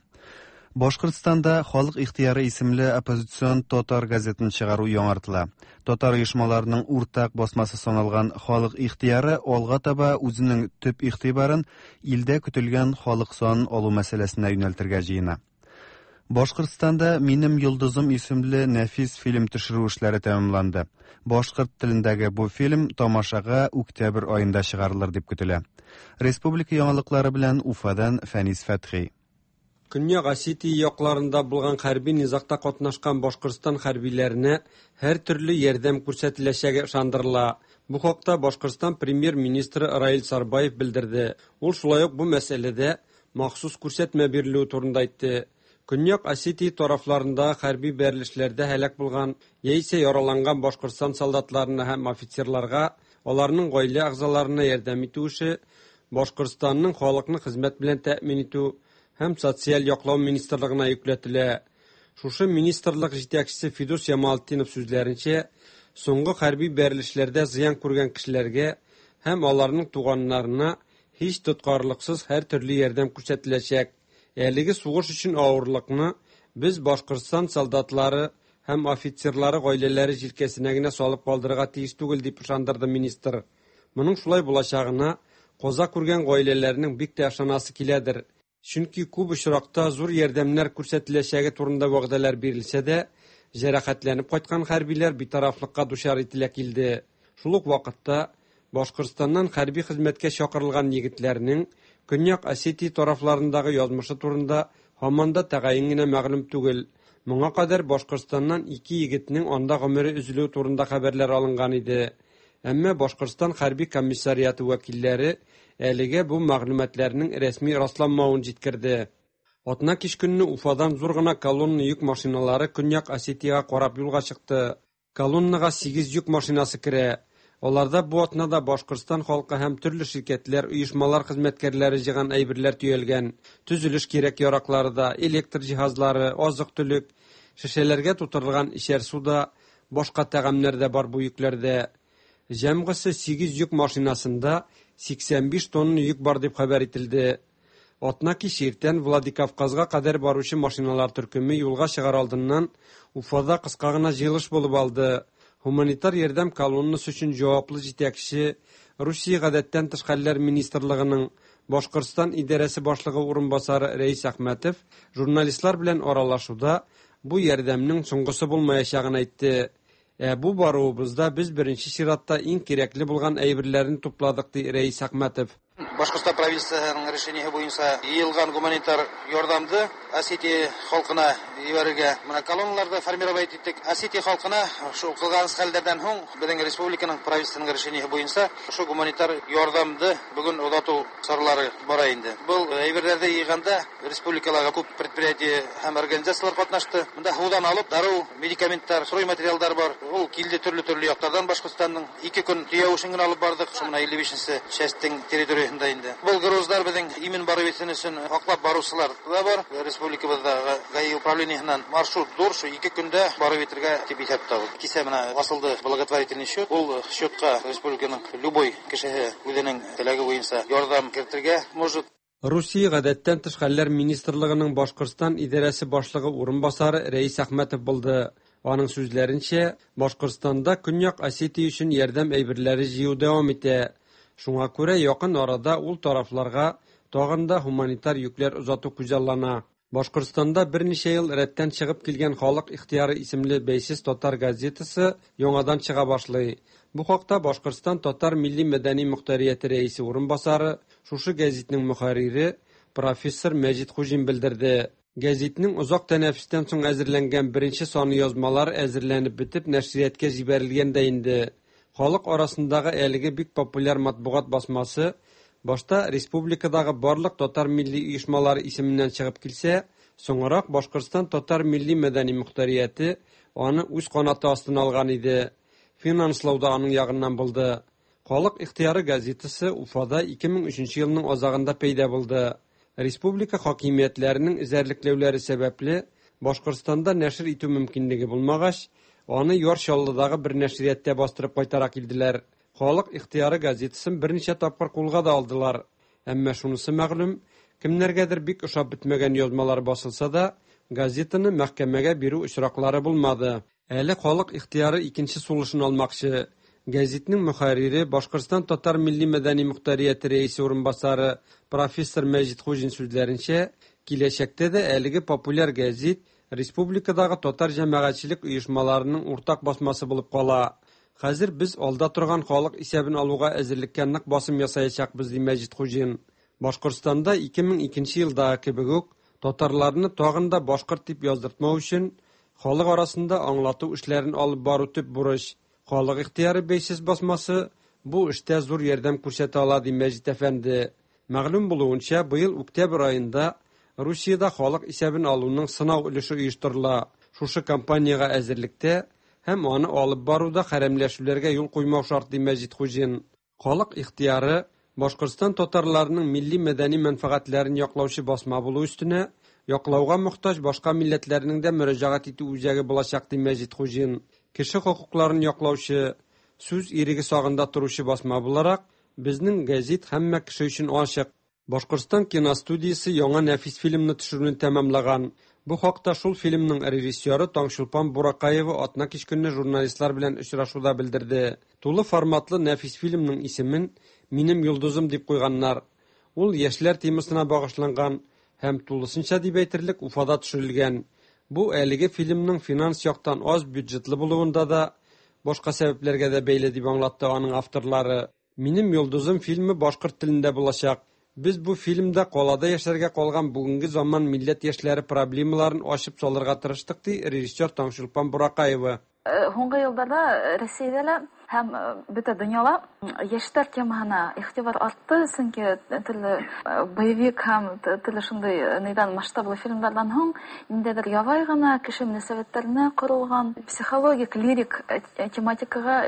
Башкортстанда Халык ихтыяры исемле оппозицион татар газетын чыгару яңартыла. Татар оешмаларының уртак басмасы саналган Халык ихтыяры алга таба үзенең төп игътибарын илдә көтелгән халык санын алу мәсьәләсенә юнәлтергә җыена. Башкортстанда Минем йолдызым исемле нәфис фильм төшерү эшләре тәмамланды. Башкорт телендәге бу фильм тамашага октябрь аенда чыгарылыр дип көтелә. Республика яңалыклары белән Уфадан Фәнис Фәтхи. Көньяк Осетия якларында булган хәрби низагта катнашкан Башкортстан хәрбиләренә һәр төрле ярдәм күрсәтеләчәге ышандырыла. Бу хакта Башкортстан премьер-министры Раил Сарбаев белдерде. Ул шулай ук бу мәсьәләдә махсус күрсәтмә бирелүе турында әйтте. Көньяк Осетия тарафларында хәрби бәрелешләрдә һәлак булган яисә яраланган Башкортстан солдатларына һәм офицерларга, аларның гаилә әгъзаларына ярдәм итү эше Башкортстанның халыкны хезмәт белән тәэмин итү һәм социаль яклау министрлыгына йөкләтелә. Шушы министрлык җитәкчесе Фидус Ямалтдинов сүзләренчә, соңгы хәрби бәрелешләрдә зыян күргән кешеләргә һәм аларның туганнарына һич тоткарлыксыз һәр төрле ярдәм күрсәтеләчәк. Әлеге сугыш өчен авырлыкны без Башкортстан солдатлары һәм офицерлары гаиләләре җилкәсенә генә салып калдырырга тиеш түгел, дип ышандырды министр. Моның шулай булачагына каза күргән гаиләләрнең бик тә ышанасы киләдер. Чөнки күп очракта зур ярдәмнәр күрсәтеләчәге турында вәгъдәләр бирелсә дә, җәрәхәтләнеп кайткан хәрбиләр битарафлыкка дучар ителә килде. Шул ук вакытта Башкортстаннан хәрби хезмәткә чакырылган егетләрнең Көньяк Осетия тарафларындагы язмышы турында һаман да тәгаен генә мәгълүм түгел. Моңа кадәр Башкортстаннан ике егетнең анда гомере өзелүе турында хәбәрләр алынган иде. Әмма Башкортстан хәрби комиссариаты вәкилләре әлегә бу мәгълүматларның рәсми расланмавын җиткерде. Атна кич көнне Уфадан зур гына колонна йөк машиналары Көньяк Осетиягә карап юлга чыкты. Колоннага сигез йөк машинасы керә. Аларда бу атнада Башкортстан халкы һәм төрле ширкәтләр, оешмалар хезмәткәрләре җыйган әйберләр төялгән. Төзелеш кирәк-яраклары да, электр җиһазлары, азык-төлек, шешәләргә тутырылган эчәр су да, башка тәгамнәр дә бар бу йөкләрдә. Җәмгысе сигез йөк машинасында 85 тонна йөк бар дип хәбәр ителде. Атна кич иртән Владикавказга кадәр баручы машиналар төркеме юлга чыгар алдыннан Уфада кыска гына җыелыш булып алды. Һуманитар ярдәм колоннасы өчен җаваплы җитәкче, Русия гадәттән тыш хәлләр министрлыгының Башкортстан идарәсе башлыгы урынбасары Рәис Әхмәтов журналистлар белән аралашуда бу ярдәмнең соңгысы булмаячагын әйтте. Ә бу баруыбызда без беренче чиратта иң кирәкле булган әйберләрне тупладык, ди Рәис Әхмәтов. Башкортстан правительствоһының решениеһы буенча йыелган гуманитар ярдәмне Осетия халкына җибәрергә менә колонналарда формировать иттек. Осетия халкына шул кылган хәлләрдән һуң безнең республиканың правительствоның решениеһы буенча шул гуманитар ярдәмне бүген озату чаралары бара инде. Был әйберләрне йыйганда республикаларга күп предприятие һәм организацияләр катнашты. Монда һудан алып дару, медикаментлар, стройматериалдар бар. Ул килде төрле-төрле яклардан Башкортстанның. Ике көн төяү эшен генә алып бардык. Шул менә 55 частьтең территориясендә инде. Был грузлар безнең имин барып җитсен өчен аклап баручылар да бар. Республикабыздагы ГАИ управлениесеннән маршрут зур, шул ике көндә барып җитәргә дип исәп тотабыз. Кичә менә асылды благотворительный счет. Ул счетка республиканың любой кешеһе үзенең теләге буенча ярдәм кертергә может. Русия гадәттән тыш хәлләр министрлыгының Башкортстан идарәсе башлыгы урынбасары Рәис Әхмәтов булды. Аның сүзләренчә, Башкортстанда Көньяк Осетия өчен ярдәм әйберләре җыю дәвам итә. Шуңа күрә якын арада ул тарафларга тагын да һуманитар йөкләр озату күзаллана. Башкортстанда берничә ел рәттән чыгып килгән Халык ихтыяры исемле бәйсез татар газетасы яңадан чыга башлый. Бу хакта Башкортстан татар милли-мәдәни мохтарияте рәисе урынбасары, шушы гәзитнең мөхәррире профессор Мәҗит Хуҗин белдерде. Гәзитнең озак тәнәфестән соң әзерләнгән беренче саны язмалар әзерләнеп бетеп нәшриятка җибәрелгән дә инде. Халык арасындагы әлеге бик популяр матбугат басмасы башта республикадагы барлык татар милли оешмалары исеменнән чыгып килсә, соңрак Башкортстан татар милли-мәдәни мохтарияте аны үз канаты астына алган иде. Финанслау да аның ягыннан булды. Халык ихтыяры газетасы Уфада 2003 елның азагында пәйда булды. Республика хакимиятләренең эзәрлекләүләре сәбәпле, Башкортстанда нәшер итү мөмкинлеге булмагач, аны Яр Чаллыдагы бер нәшрияттә бастырып кайтара килделәр. Халык ихтыяры газетасын берничә тапкыр кулга да алдылар. Әмма шунысы мәгълүм, кемнәргәдер бик ошап бетмәгән язмалар басылса да, газетаны мәхкәмәгә бирү очраклары булмады. Әле халык ихтыяры икенче сулышын алмакчы. Гәзитнең мөхәррире, Башкортстан татар милли-мәдәни мохтарияте рәисе урынбасары профессор Мәҗит Хуҗин сүзләренчә, киләчәктә дә әлеге популяр гәзит республикадагы татар җәмәгатьчелек оешмаларының уртак басмасы булып кала. Хәзер без алда торган халык исәбен алуга әзерлеккә нык басым ясаячакбыз, ди Мәҗит Хуҗин. Башкортстанда 2002 елдагы кебек үк татарларны тагын да башкорт дип яздыртмау өчен халык арасында аңлату эшләрен алып бару төп бурыч. Халык ихтыяры бәйсез басмасы бу эштә зур ярдәм күрсәтә ала, ди Мәҗит әфәнде. Мәгълүм булуынча, быел октябрь аенда Русиядә халык исәбен алуның сынау өлеше оештырыла. Шушы кампаниягә әзерлектә һәм аны алып баруда хәрәмләшүләргә юл куймау шарт, ди Мәҗит Хуҗин. Халык ихтыяры Башкортстан татарларының милли-мәдәни мәнфәгатьләрен яклаучы басма булу өстенә, яклауга мохтаҗ башка милләтләрнең дә мөрәҗәгать итү үзәге булачак, ди Мәҗит Хуҗин. Кеше хокукларын яклаучы, сүз иреге сагында торучы басма буларак, безнең гәзит һәммә кеше өчен ачык. Башкортстан киностудиясе яңа нәфис фильмны төшерүне тәмамлаган. Бу хакта шул фильмның режиссеры Таңчулпан Буракаева атна кич көнне журналистлар белән очрашуда белдерде. Тулы форматлы нәфис фильмның исемен Минем йолдызым дип куйганнар. Ул яшьләр темасына багышланган һәм тулысынча дип әйтерлек Уфада төшерелгән. Бу әлеге фильмның финанс яктан аз бюджетлы булуында да, башка сәбәпләргә дә бәйле дип аңлатты аның авторлары. Минем йолдызым фильмы башкорт телендә булачак. Без бу фильмда калада яшәргә калган бүгенге заман милләт яшьләре проблемаларын ачып салырга тырыштык, ди режиссер Таңчулпан Буракаева. Һуңгы елларда Рәсәйдә лә һәм бөтә дөньяла яшьләр темаһына игътибар артты, чөнки төрле боевик һәм төрле шундый нидән масштаблы фильмнардан һуң ниндәйдер ябай гына кеше мөнәсәбәтләренә корылган психологик, лирик тематикага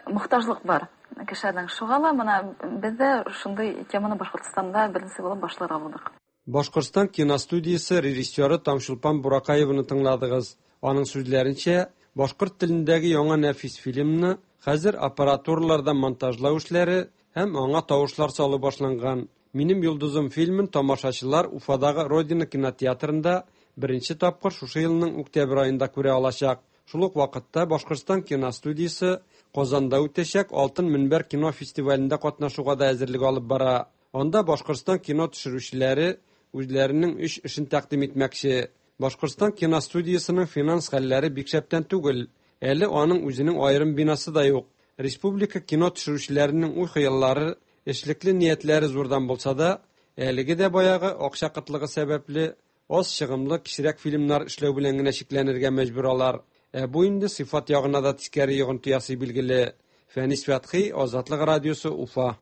мохтаҗлык бар кешеләрнең. Шуңа ла менә без дә шундый теманы Башкортстанда беренче булып башларга булдык. Башкортстан киностудиясе режиссеры Таңчулпан Буракаеваны тыңладыгыз. Аның сүзләренчә, башкорт телендәге яңа нәфис фильмны хәзер аппаратураларда монтажлау эшләре һәм аңа тавышлар салу башланган. Минем йолдызым фильмын тамашачылар Уфадагы Родина кинотеатрында беренче тапкыр шушы елның октябрь аенда күрә алачак. Шул ук вакытта Башкортстан киностудиясе Казанда үтәчәк Алтын мөнбәр кино фестивалендә катнашуга да әзерлек алып бара. Анда Башкортстан кино төшерүчеләре үзләренең өч эшен тәкъдим итмәкче. Башкортстан киностудиясенең финанс хәлләре бик шәптән түгел. Әле аның үзенең аерым бинасы да юк. Республика кино төшерүчеләренең уй-хыяллары, эшлекле ниятләре зурдан булса да, әлеге дә баягы акча кытлыгы сәбәпле, аз чыгымлы кечерәк фильмнар эшләү белән генә чикләнергә мәҗбүр алар. Ә бу инде сыйфат ягына да тискәре йогынты ясый билгеле. Фәнис Фәтхи, Азатлык радиосы, Уфа.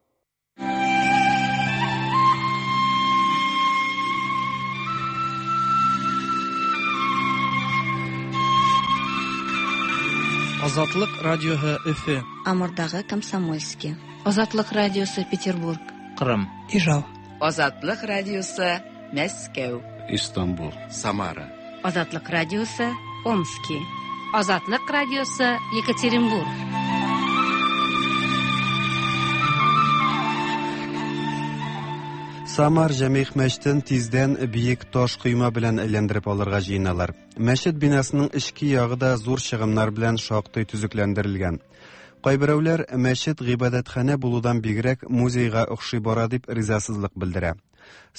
Азатлык радиоһы Өфе. Амурдагы Комсомольский. Азатлык радиосы Петербург. Кырым. Ижау. Азатлык радиосы Мәскәү. Истанбул. Самара. Азатлык радиосы Омски. Азатлык радиосы Екатеринбург. Самар Җәмигъ мәчетен тиздән биек таш койма белән әйләндереп алырга җыеналар. Мәчет бинасының эчке ягы да зур чыгымнар белән шактый төзекләндерелгән. Кайберәүләр мәчет гыйбадәтханә булудан бигрәк музейга охшый бара дип ризасызлык белдерә.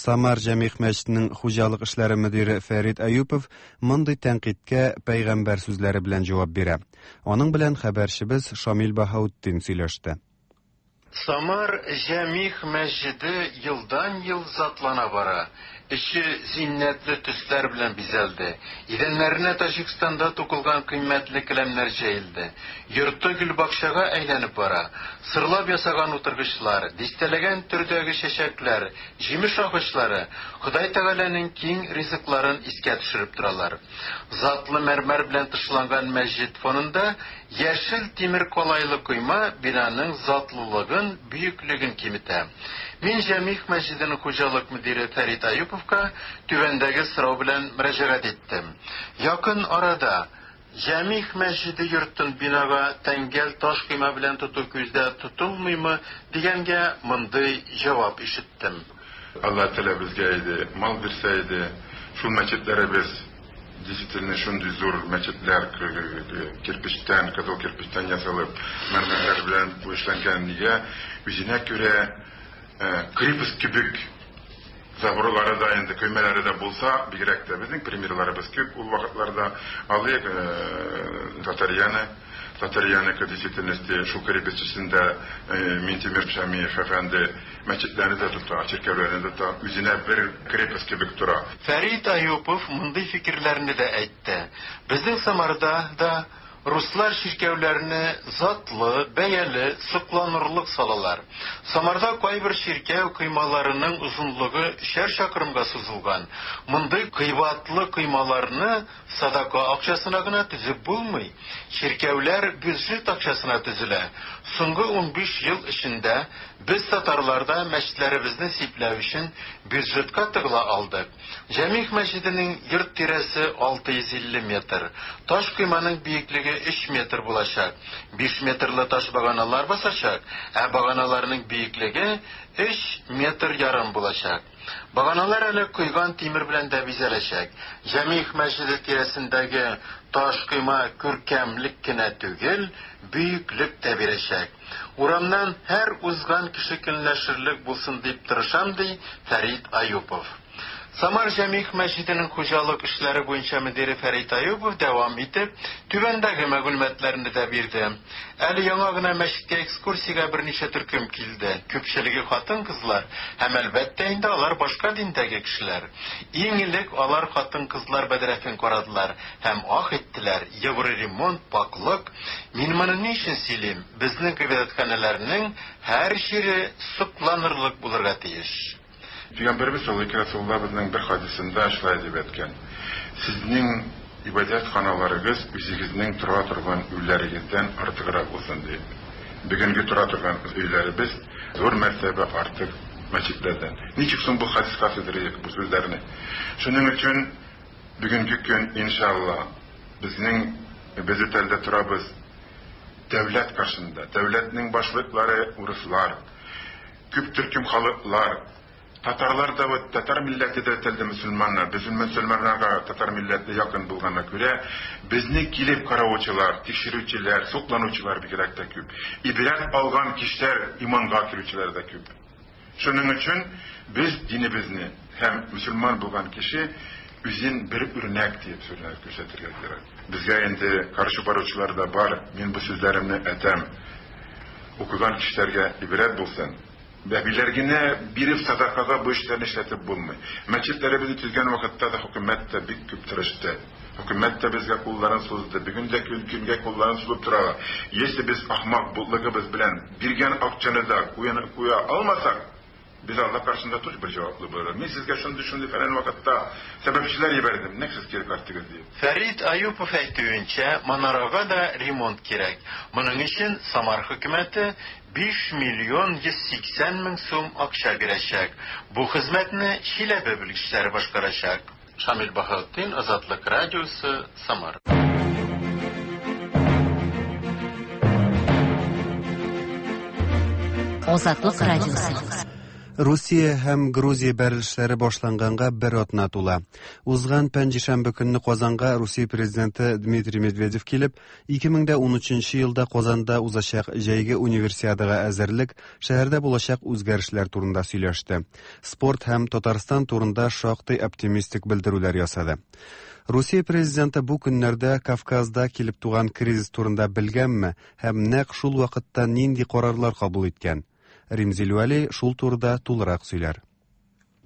Самар Җәмигъ мәчетенең хуҗалык эшләре мөдире Фәрит Әюпов мондый тәнкыйтькә пәйгамбәр сүзләре белән җавап бирә. Аның белән хәбәрчебез Шамил Баһаутдин сөйләште. Самар Җәмигъ мәсҗиде елдан-ел затлана бара. Эче зиннәтле төсләр белән бизәлде. Идәннәренә Таҗикстанда тукылган кыйммәтле келәмнәр җәелде. Йорты гөлбакчага әйләнеп бара. Сырлап ясаган утыргычлар, дистәләгән төрдәге чәчәкләр, җимеш агачлары Ходай Тәгаләнең киң ризыкларын искә төшереп торалар. Затлы мәрмәр белән тышланган мәсҗид фонында Яшел тимер калайлы койма бинаның затлылыгын, бөеклеген киметә. Мин Җәмигъ мәсҗиденең хуҗалык мөдире Фәрит Аюповка түбәндәге сорау белән мөрәҗәгать иттем. Якын арада Җәмигъ мәсҗиде йортын бинага тәңгәл таш койма белән тоту күздә тотылмыймы дигәнгә мондый җавап ишеттем. Алла Тәгалә безгә иде, мал бирсә иде, шул мәчетләребез Действительно шундый зур мәчетләр кирпечтән, кызыл кирпечтән ясалып, мәрмәрләр белән эшләнгән. Нигә үзенә күрә крепость кебек заборлары да инде, көймәләре дә булса, бигрәк тә безнең примерларыбыз күп ул вакытларда. Алыйк Татарьяны. Татарьяныкы действительности шул крепость эчендә Минтимер Шәмиев әфәнде Мәчетләрне дә тота, чиркәүләрне дә тота, үзенә бер крепость кебек тора. Фәрит Аюпов мондый фикерләрне дә әйтте, Безнең Самарда да руслар чиркәүләрне затлы, бәяле, сокланырлык салалар. Самарда кайбер чиркәү коймаларының озынлыгы өчәр чакрымга сузылган. Мондый кыйбатлы коймаларны Садака акчасына гына төзеп булмый. Чиркәүләр бюджет акчасына төзелә. Соңгы 15 ел эчендә без татарлар да мәчетләребезне сипләү өчен бюджетка тыгыла алдык. Җәмигъ мәчетенең йорт тирәсе 650 метр. Таш койманың биеклеге 3 метр булачак. 5 метрлы таш баганалар басачак, ә баганаларның биеклеге 3 метр ярым булачак. Баганалар әле койган тимер белән дә бизәләчәк. Җәмигъ мәчете тирәсендәге таш койма күркәмлек кенә түгел, бөеклек тә бирәчәк. Урамнан һәр узган кеше көнләшерлек булсын дип тырышам, ди Фәрит Аюпов. Самар Җәмигъ мәчетенең хуҗалык эшләре буенча мөдире Фәрит Аюпов дәвам итеп, түбәндәге мәгълүматларны да бирде. Әле яңа гына мәчеткә экскурсиягә берничә төркем килде. Күпчелеге хатын-кызлар һәм, әлбәттә инде, алар башка диндәге кешеләр. Иң элек алар хатын-кызлар бәдрәфен карадылар һәм ах иттеләр, евроремонт, пакьлык. Мин моны ни өчен сөйлим? Безнең гыйбадәтханәләрнең һәр җире сокланырлык булырга тиеш. Пәйгамбәребез саллаллаһу бер хадисында шулай дип әйткән: "Сезнең ибадәт ханаларыгыз үзегезнең тора торган өйләрегездән артыграк булсын", дип. Бүгенге тора торган өйләребез зур мәртәбә артык мәчетләрдән. Ничек соң бу хадиска сыйдырыйк бу сүзләрне? Шуның өчен бүгенге көн, иншалла, безнең без үтәлдә торабыз дәүләт каршында. Дәүләтнең башлыклары урыслар, күп төркем халыклар, татарлар да вот татар милләте дә телде мөселманнар. Без мөселманнарга татар милләте якын булганга күрә, безне килеп караучылар, тикшерүчеләр, сокланучылар бигрәк тә күп. Ибрәт алган кешеләр, иманга керүчеләр дә күп. Шуның өчен без динебезне һәм мөселман булган кеше үзен бер үрнәк диеп сүрнәк күрсәтергә кирәк. Безгә инде каршы баручылар да бар. Мин бу сүзләремне әйтәм. Укыган кешеләргә ибрәт булсын. Бәбиләр генә биреп садакага бу эшләрне эшләтеп булмый. Мәчетләребезне төзгән вакытта да хөкүмәт тә бик күп тырышты. Хөкүмәт тә безгә кулларын сузды. Бүген дә көнгә кулларын сузып торалар. Если без ахмак бутлыгыбыз белән биргән акчаны да куя алмасак, без Алла каршында тоже бер җаваплы булырбыз. Мин сезгә шундый-шундый фәлән вакытта сәбәпчеләр җибәрдем, нәкъ сез кире кайттыгыз дип. Фәрит Аюпов әйтүенчә, манарага да ремонт кирәк. Моның өчен Самар хөкүмәте 5 миллион 180 мең сум акча бирәчәк. Бу хезмәтне Чиләбе белгечләре башкарачак. Шамил Баһаутдин, Азатлык радиосы, Самар. Азатлык радиосы. Русия һәм Грузия бәрелешләре башланганга бер атна тула. Узган пәнҗешәмбе көнне Казанга Русия президенты Дмитрий Медведев килеп, 2013 елда Казанда узачак җәйге универсиадага әзерлек, шәһәрдә булачак үзгәрешләр турында сөйләште. Спорт һәм Татарстан турында шактый оптимистик белдерүләр ясады. Русия президенты бу көннәрдә Кавказда килеп туган кризис турында белгәнме һәм нәкъ шул вакытта нинди карарлар кабул иткән? Римзил Вәли шул турыда тулырак сөйләр.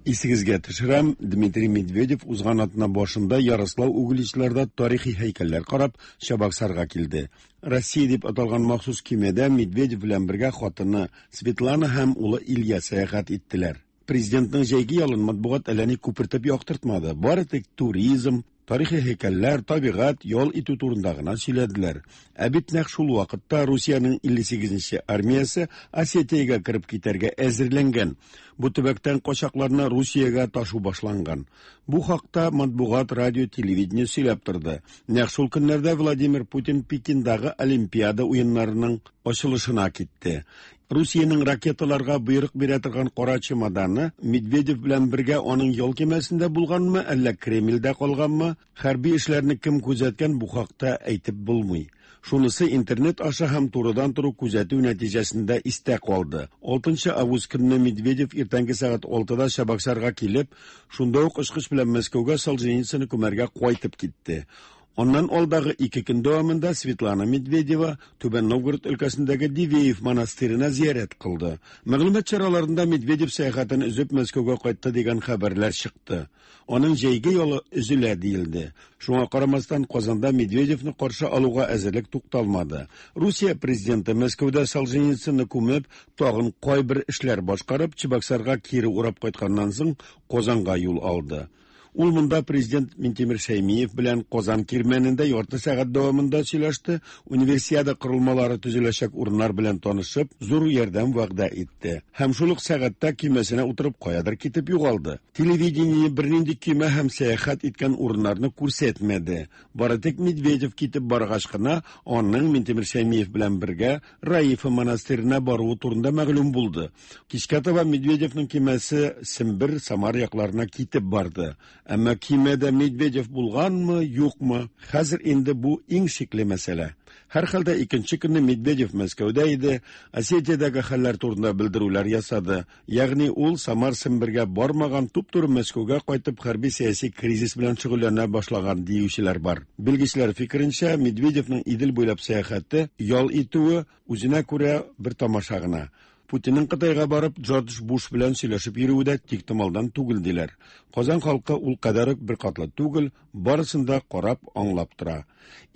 Исегезгә төшерәм, Дмитрий Медведев узган атна башында Ярослав Угличларда тарихи һәйкәлләр карап, Чабаксарга килде. Россия дип аталган махсус көймәдә Медведев белән бергә хатыны Светлана һәм улы Илья сәяхәт иттеләр. Президентның җәйге ялын матбугат әллә ни күпертеп яктыртмады. Бары тик туризм, тарихи һәйкәлләр, табигать, ял итү турында гына сөйләделәр. Ә бит нәкъ шул вакытта Русиянең 58-нче армиясе Осетиягә кереп китәргә әзерләнгән. Бу төбәктән качакларны Русиягә ташу башланган. Бу хакта матбугат, радио, телевидение сөйләп торды. Нәкъ шул көннәрдә Владимир Путин Пекиндагы Олимпиада уеннарының ачылышына китте. Русиянең ракеталарга боерык бирә торган кара чемоданы Медведев белән бергә аның ял көймәсендә булганмы, әллә Кремльдә калганмы, хәрби эшләрне кем күзәткән, бу хакта әйтеп булмый. Шунысы интернет аша һәм турыдан-туры күзәтү нәтиҗәсендә истә калды. 6 август көнне Медведев иртәнге сәгать 6-да Чабаксарга килеп, шунда ук очкыч белән Мәскәүгә Солженицынны күмәргә кайтып китте. Аннан алдагы 2 көн дәвамында Светлана Медведева Түбән Новгород өлкәсендәге Дивеев монастырена зиярәт кылды. Мәгълүмат чараларында Медведев сәяхәтен өзеп Мәскәүгә кайтты дигән хәбәрләр чыкты. Аның җәйге ялы өзелә диелде. Шуңа карамастан Казанда Медведевны каршы алуга әзерлек тукталмады. Русия президенты Мәскәүдә Солженицынны күмеп, тагын кайбер эшләр башкарып, Чебоксарга кире урап кайтканнан соң Казанга юл алды. Ул монда президент Минтимер Шәймиев белән Казан кирмәнендә ярты сәгать дәвамында сөйләште, универсиада корылмалары төзеләчәк урыннар белән танышып, зур ярдәм вәгъдә итте. Һәм шул ук сәгатьтә көймәсенә утырып каядыр китеп югалды. Телевидение бернинди көймә һәм сәяхәт иткән урыннарны күрсәтмәде. Бары тик Медведев китеп баргач кына аның Минтимер Шәймиев белән бергә Раифа монастырена баруы турында мәгълүм булды. Кичкә таба Медведевның көймәсе Сембер, Самар якларына китеп барды. Әмма кимәдә Медведев булганмы, юкмы? Хәзер инде бу иң шикле мәсьәлә. Һәрхәлдә икенче көнне Медведев Мәскәүдә иде, Осетиядәге хәлләр турында белдерүләр ясады. Ягъни ул Самар Сембергә бармаган, туп-туры Мәскәүгә кайтып хәрби-сәяси кризис белән шөгыльләнә башлаган диючеләр бар. Белгечләр фикеренчә, Медведевның Идел буйлап сәяхәте, ял итүе үзенә күрә бер тамаша гына. Путинның Кытайга барып Джордж Буш белән сөйләшеп йөрүе дә тиктомалдан түгел диләр. Казан халкы ул кадәр үк беркатлы түгел, барысын да карап, аңлап тора.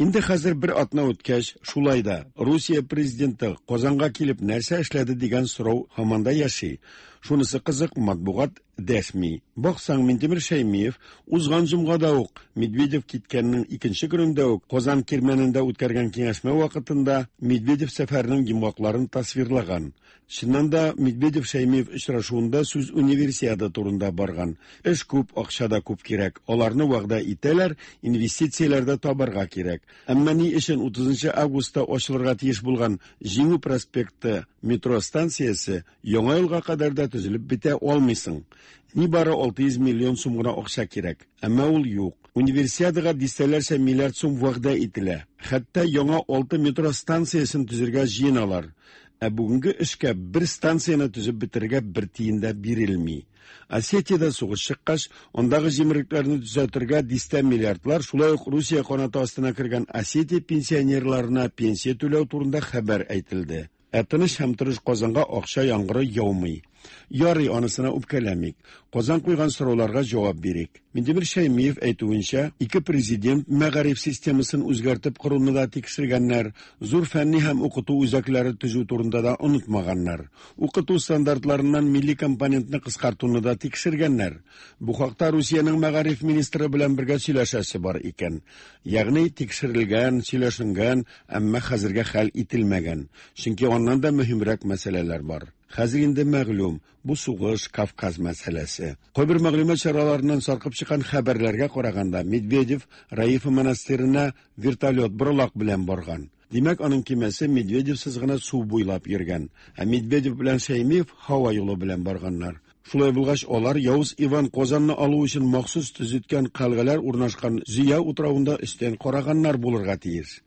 Инде хәзер бер атна үткәч, шулай да Русия президенты Казанга килеп нәрсә эшләде дигән сорау һаман да яши. Шунысы кызык, матбугат дәшми. Баксаң, Минтимер Шәймиев узган җомгада ук, Медведев киткәннең икенче көнендә үк Казан Кирмәнендә үткәргән киңәшмә вакытында Медведев сәфәренең йомгакларын тасвирлаган. Чыннан да, Медведев-Шәймиев очрашуында сүз Универсиада турында барган. Эш күп, акча да күп кирәк. Аларны вәгъдә итәләр, инвестицияләр дә табарга кирәк. Әмма ни өчен 30 августта ачылырга тиеш булган Җиңү проспекты метро станциясе Яңа елга кадәр дә төзелеп бетә алмый соң? Нибары 600 миллион сум гына акча кирәк. Әмма ул юк. Универсиадага дистәләрчә миллиард сум вәгъдә ителә. Хәтта яңа 6 метро станциясен төзергә җыеналар. Ә бүгенге эшкә бер станцияне төзеп бетерергә бер тиен дә бирелми. Осетиядә сугыш чыккач, андагы җимерекләрне төзәтергә дистә миллиардлар, шулай ук Русия канаты астына кергән Осетия пенсионерларына пенсия түләү турында хәбәр әйтелде. Ә тыныч һәм тырыш Казанга акча яңгыры яумый. Ярый, анысына үпкәләмик. Казан куйган сорауларга җавап бирик. Минтимер Шәймиев әйтүенчә, ике президент мәгариф системасын үзгәртеп коруны да тикшергәннәр, зур фәнни һәм укыту үзәкләре төзү турында да онытмаганнар. Укыту стандартларыннан милли компонентны кыскартуны да тикшергәннәр. Бу хакта Русиянең мәгариф министры белән бергә сөйләшәсе бар икән. Ягъни тикшерелгән, сөйләшенгән, әмма хәзергә хәл ителмәгән. Чөнки аннан да мөһимрәк мәсьәләләр бар. Хәзер инде мәгълүм, бу сугыш, Кавказ мәсьәләсе. Кайбер мәгълүмат чараларыннан саркып чыккан хәбәрләргә караганда, Медведев Раифа монастырена вертолет боралак белән барган. Димәк, аның кимәсе Медведевсыз гына су буйлап йөргән. Ә Медведев белән Шәймиев һава юлы белән барганнар. Шулай булгач, алар Явыз Иван Казанны алу өчен махсус төзеткән кальгалар урнашкан Зөя утравында өстән караганнар булырга тиеш.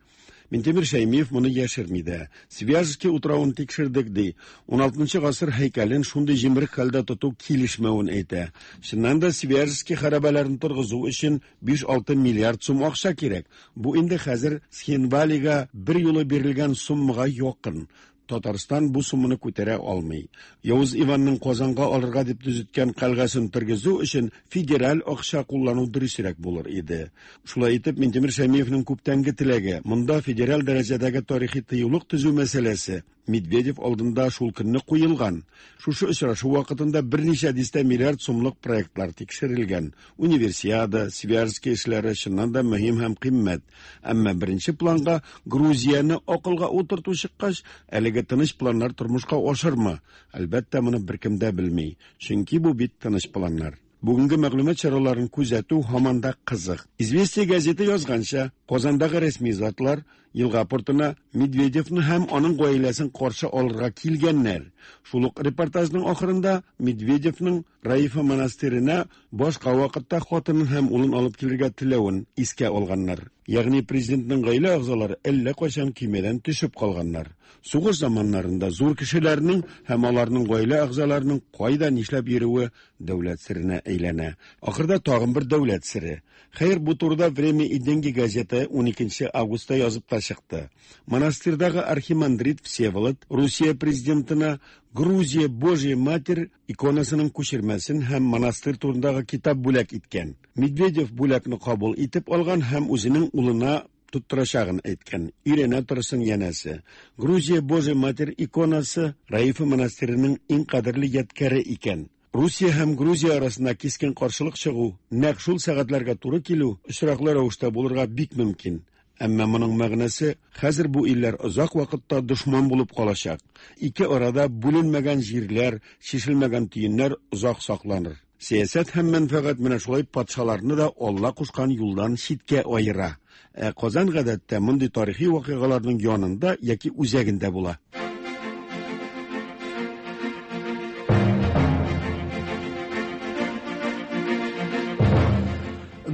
Минтимер Шәймиев моны яшерми дә. Свияжский утравын тикшердек, ди. 16 гасыр һәйкәлен шундый җимерек хәлдә тоту килешмәвен әйтә. Чыннан да Свияжский хәрабәләрен торгызу өчен 5-6 миллиард сум акча кирәк. Бу инде хәзер Цхинвалига бер юлы бирелгән суммага якын. Татарстан бу сумманы күтәрә алмый. Явыз Иванның Казанга алырга дип төзеткән кальгасен тергезү өчен федераль акча куллану дөресрәк булыр иде. Шулай итеп, Минтимер Шәймиевнең күптәнге теләге, монда федераль дәрәҗәдәге тарихи тыюлык төзү мәсьәләсе Медведев алдында шул көнне куелган. Шушы очрашу вакытында берничә дистә миллиард сумлык проектлар тикшерелгән. Универсиада, Свияжский эшләре чыннан да мөһим һәм кыйммәт. Әмма беренче планга Грузияне акылга утырту чыккач, әлеге тыныч планнар тормышка ашырмы? Әлбәттә, моны беркем дә белми. Чөнки бу бит тыныч планнар. Бүгенге мәгълүмат чараларын күзәтү һаман да кызык. Известия газеты язганча, Казандагы рәсми затлар елга портына Медведевны һәм аның гаиләсен каршы алырга килгәннәр. Шул ук репортажның ахырында Медведевның Раифа монастырена башка вакытта хатынын һәм улын алып килергә теләвен искә алганнар. Ягъни президентның гаилә әгъзалары әллә кайчан көймәдән төшеп калганнар. Сугыш заманнарында зур кешеләрнең һәм аларның гаилә әгъзаларының кайда нишләп йөрүе дәүләт серенә әйләнә. Ахырда тагын бер дәүләт сере. Хәер, бу турыда Время и деньги газеты 12 августта язып та чыкты. Монастырьдагы архимандрит Всеволод Русия президентына Грузия Божья Матерь иконасының күчермәсен һәм монастырь турындагы китап бүләк иткән. Медведев бүләкне кабул итеп алган һәм үзенең улына тоттырачагын әйткән. Өйрәнә торсын янәсе. Грузия Божья Матерь иконасы Раифа монастыреның иң кадерле ядкәре икән. Русия һәм Грузия арасында кискен каршылык чыгу, нәкъ шул сәгатьләргә туры килү очраклы рәвештә булырга бик мөмкин. Әмма моның мәгънәсе хәзер бу илләр озак вакытта дошман булып калачак. Ике арада бүленмәгән җирләр, чишелмәгән төеннәр озак сакланыр. Сәясәт һәм мәнфәгать менә шулай патшаларны да Алла кушкан юлдан читкә аера. Ә Казан гадәттә мондый тарихи вакыйгаларның янында яки үзәгендә була.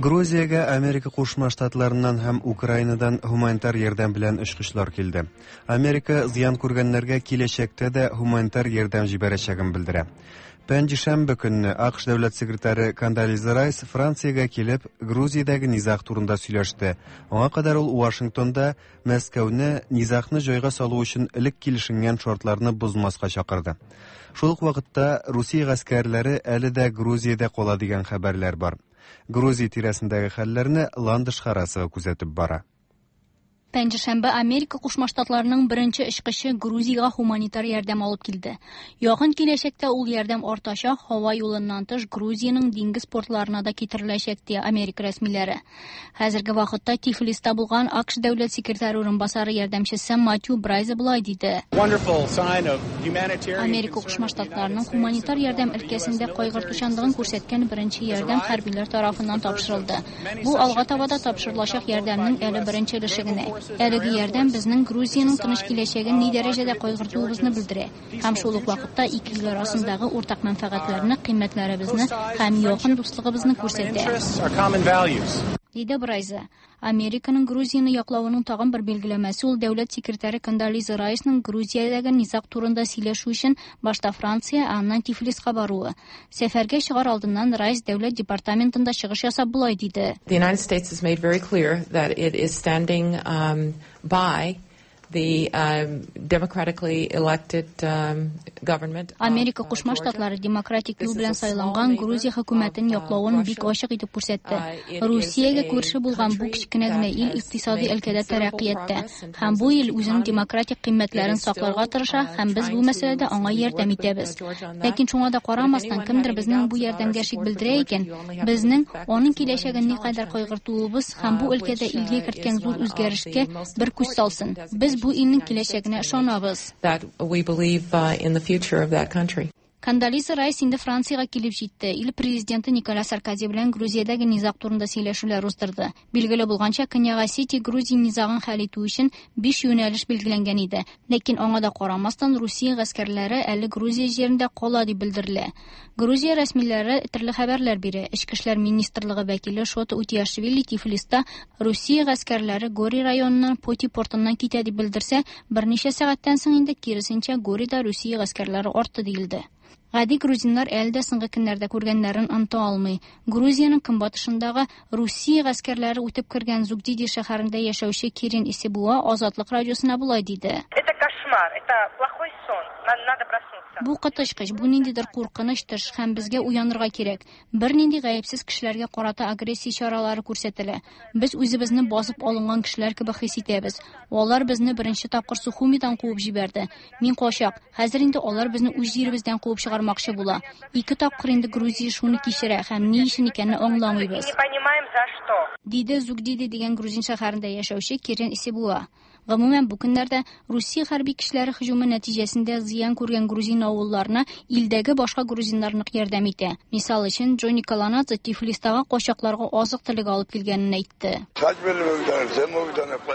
Грузиягә Америка Кушма Штатларыннан һәм Украинадан һуманитар ярдәм белән очкычлар килде. Америка зыян күргәннәргә киләчәктә дә һуманитар ярдәм җибәрәчәген белдерә. Пәнҗешәмбе көнне АКШ дәүләт секретаре Кондолиза Райс Франциягә килеп, Грузиядәге низаг турында сөйләште. Аңа кадәр ул Вашингтонда Мәскәүне низагны җайга салу өчен элек килешенгән шартларны бозмаска чакырды. Шул ук вакытта Русия гаскәрләре әле дә Грузиядә кала дигән хәбәрләр бар. Грузия тирәсендәге хәлләрне Ландыш Харасова күзәтеп бара. Пәнҗешәмбе Америка Кушма Штатларының беренче очкычы Грузиягә һуманитар ярдәм алып килде. Якын киләчәктә ул ярдәм артачак, һава юлыннан тыш Грузиянең диңгез портларына да китереләчәк, ди Америка рәсмиләре. Хәзерге вакытта Тифлиста булган АКШ дәүләт секретаре урынбасары ярдәмчесе Матью Брайза болай диде. Америка Кушма Штатларының һуманитар ярдәм өлкәсендә кайгыртучанлыгын күрсәткән беренче ярдәм хәрбиләр тарафыннан тапшырылды. Бу алга таба да тапшырылачак ярдәмнең әле беренче өлеше генә. Әлеге ярдәм безнең Грузиянең тыныч киләчәген ни дәрәҗәдә кайгыртуыбызны белдерә һәм шул ук вакытта ике ил арасындагы уртак мәнфәгатьләрне, кыйммәтләребезне һәм якын дуслыгыбызны күрсәтә. Диде Брайза. Американың Грузияне яклавының тагын бер билгеләмәсе ул дәүләт секретаре Кондолиза Райсның Грузиядәге низаг турында сөйләшү өчен башта Франция, ә аннан Тифлиска баруы. Сәфәргә чыгар алдыннан Райс дәүләт департаментында чыгыш ясап болай диде. The United States has made very clear that it is standing um, by the um, democratically elected um, government. Америка Кушма Штатлары демократик юл белән сайланган Грузия хөкүмәтен яклавын бик ачык итеп күрсәтте. Русиягә күрше булган бу кечкенә генә ил икътисади өлкәдә тәрәккыятьтә һәм бу ил үзенең демократик кыйммәтләрен сакларга тырыша һәм без бу мәсьәләдә аңа ярдәм итәбез. Ләкин шуңа да карамастан, кемдер безнең бу ярдәмгә шик белдерә икән, безнең аның киләчәген никадәр кайгыртуыбыз һәм бу өлкәдә илгә керткән зур үзгәрешкә бер күз салсын. Без бу илнең киләчәгенә ышанабыз. That we believe in the future of that country. Кондолиза Райс инде Франциягә килеп җитте. Ил президенты Николя Саркози белән Грузиядәге низаг турында сөйләшүләр уздырды. Билгеле булганча, Көньяк Осетия Грузия низагын хәл итү өчен биш юнәлеш билгеләнгән иде. Ләкин аңа да карамастан, Русия гаскәрләре әле Грузия җирендә кала дип белдерелә. Грузия рәсмиләре төрле хәбәрләр бирә. Эчке эшләр министрлыгы вәкиле Шота Утиашвили Тифлиста Русия гаскәрләре Гори районыннан Поти портыннан китә дип белдерсә, берничә сәгатьтән соң инде киресенчә Горида Русия гаскәрләре артты диелде. Гади грузиннар әле дә соңгы көннәрдә күргәннәрен оныта алмый. Грузиянең көнбатышындагы Русия гаскәрләре үтеп кергән Зугдиди шәһәрендә яшәүче Кирин Исебуа Азатлык радиосына болай диде. Это кошмар, это плохой сон, надо проснуться. Бу коточкыч, бу ниндидер куркыныч төш һәм безгә уянырга кирәк. Бернинди гаепсез кешеләргә карата агрессия чаралары күрсәтелә. Без үзебезне басып алынган кешеләр кебек хис итәбез. Алар безне беренче тапкыр Сухумидан куып җибәрде. Мин качак. Хәзер инде алар безне үз җиребездән куып чыгармакчы була. Ике тапкыр инде Грузия шуны кичерә һәм ни өчен икәнне аңламыйбыз. Не понимаем за что. Диде Зугдиди дигән грузин шәһәрендә яшәүче Кирен Исебуа. Гомумән, бу көннәрдә Русия хәрби көчләре һөҗүме нәтиҗәсендә зыян күргән грузин авылларына илдәге башка грузиннар нык ярдәм итә. Мисал өчен, Джонни Каланадзе Тифлистагы качакларга азык-төлек алып килгәнен әйтте.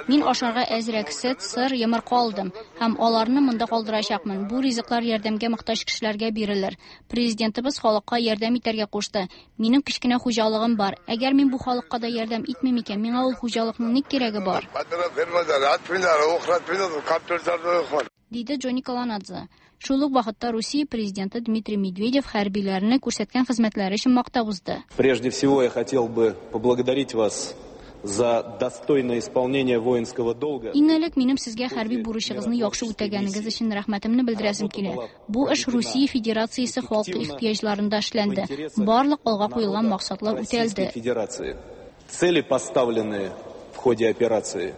Мин ашарга әзрәк сөт, сыр, йомырка алдым һәм аларны монда калдырачакмын. Бу ризыклар ярдәмгә мохтаҗ кешеләргә бирелер. Президентыбыз халыкка ярдәм итәргә кушты. Минем кечкенә хуҗалыгым бар. Әгәр мин бу халыкка да ярдәм итмим икән, миңа ул хуҗалыкның ни кирәге бар? Диде Джонни Каланадзе. Шул ук вакытта Русия президенты Дмитрий Медведев хәрбиләрне күрсәткән хезмәтләре өчен мактап узды. Прежде всего я хотел бы поблагодарить вас за достойное исполнение воинского долга. Иң элек минем сезгә хәрби бурычыгызны яхшы үтәгәнегез өчен рәхмәтемне белдерәсем килә. Бу эш Русия Федерациясе халкы ихтыяҗларында эшләнде. Барлык алга куелган максатлар үтәлде. Федерации. Цели, поставленные в ходе операции,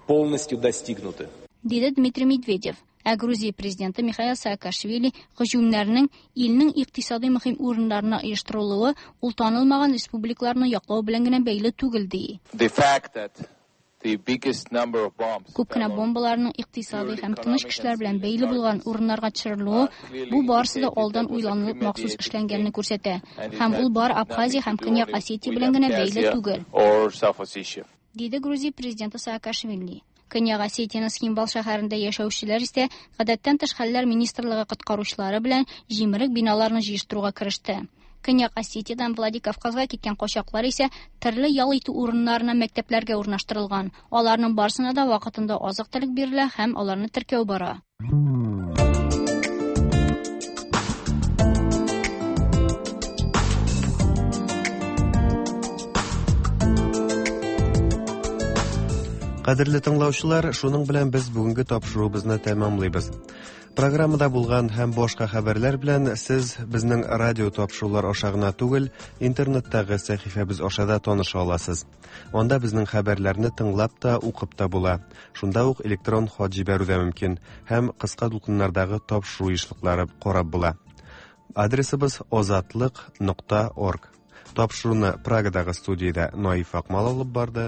полностью достигнуты. Диде Дмитрий Медведев. Ә Грузия президенты Михаил Саакашвили һөҗүмнәрнең илнең икътисади мөһим урыннарына оештырылуы ул танылмаган республикаларны яклау белән генә бәйле түгел ди. The fact that the biggest number of bombs Күп кенә бомбаларның икътисади һәм тыныч кешеләр белән бәйле булган урыннарга төшерелүе бу барысы да алдан уйланылып махсус эшләнгәнне күрсәтә. Һәм ул бары Абхазия һәм Көньяк Осетия белән генә бәйле түгел. or South Ossetia. Диде Грузия президенты Саакашвили. Көньяк Осетиянең Цхинвал шәһәрендә яшәүчеләр исә гадәттән тыш хәлләр министрлыгы коткаручылары белән җимерек биналарны җыештыруга кереште. Көньяк Осетиядән Владикавказга киткән качаклар исә төрле ял итү урыннарына, мәктәпләргә урнаштырылган. Аларның барысына да вакытында азык-төлек бирелә һәм аларны теркәү бара. Кадерле тыңлаучылар, шуның белән без бүгенге тапшыруыбызны тәмамлыйбыз. Программада булган һәм башка хәбәрләр белән сез безнең радио тапшырулар аша гына түгел, интернеттагы сәхифәбез аша да таныша аласыз. Анда безнең хәбәрләрне тыңлап та, укып та була. Шунда ук электрон хат җибәрү дә мөмкин һәм кыска дулкыннардагы тапшыру ешлыклары карап була. Адресыбыз озатлык.орг. Тапшыруны Прагадагы студиядә Наиф Акмал алып барды.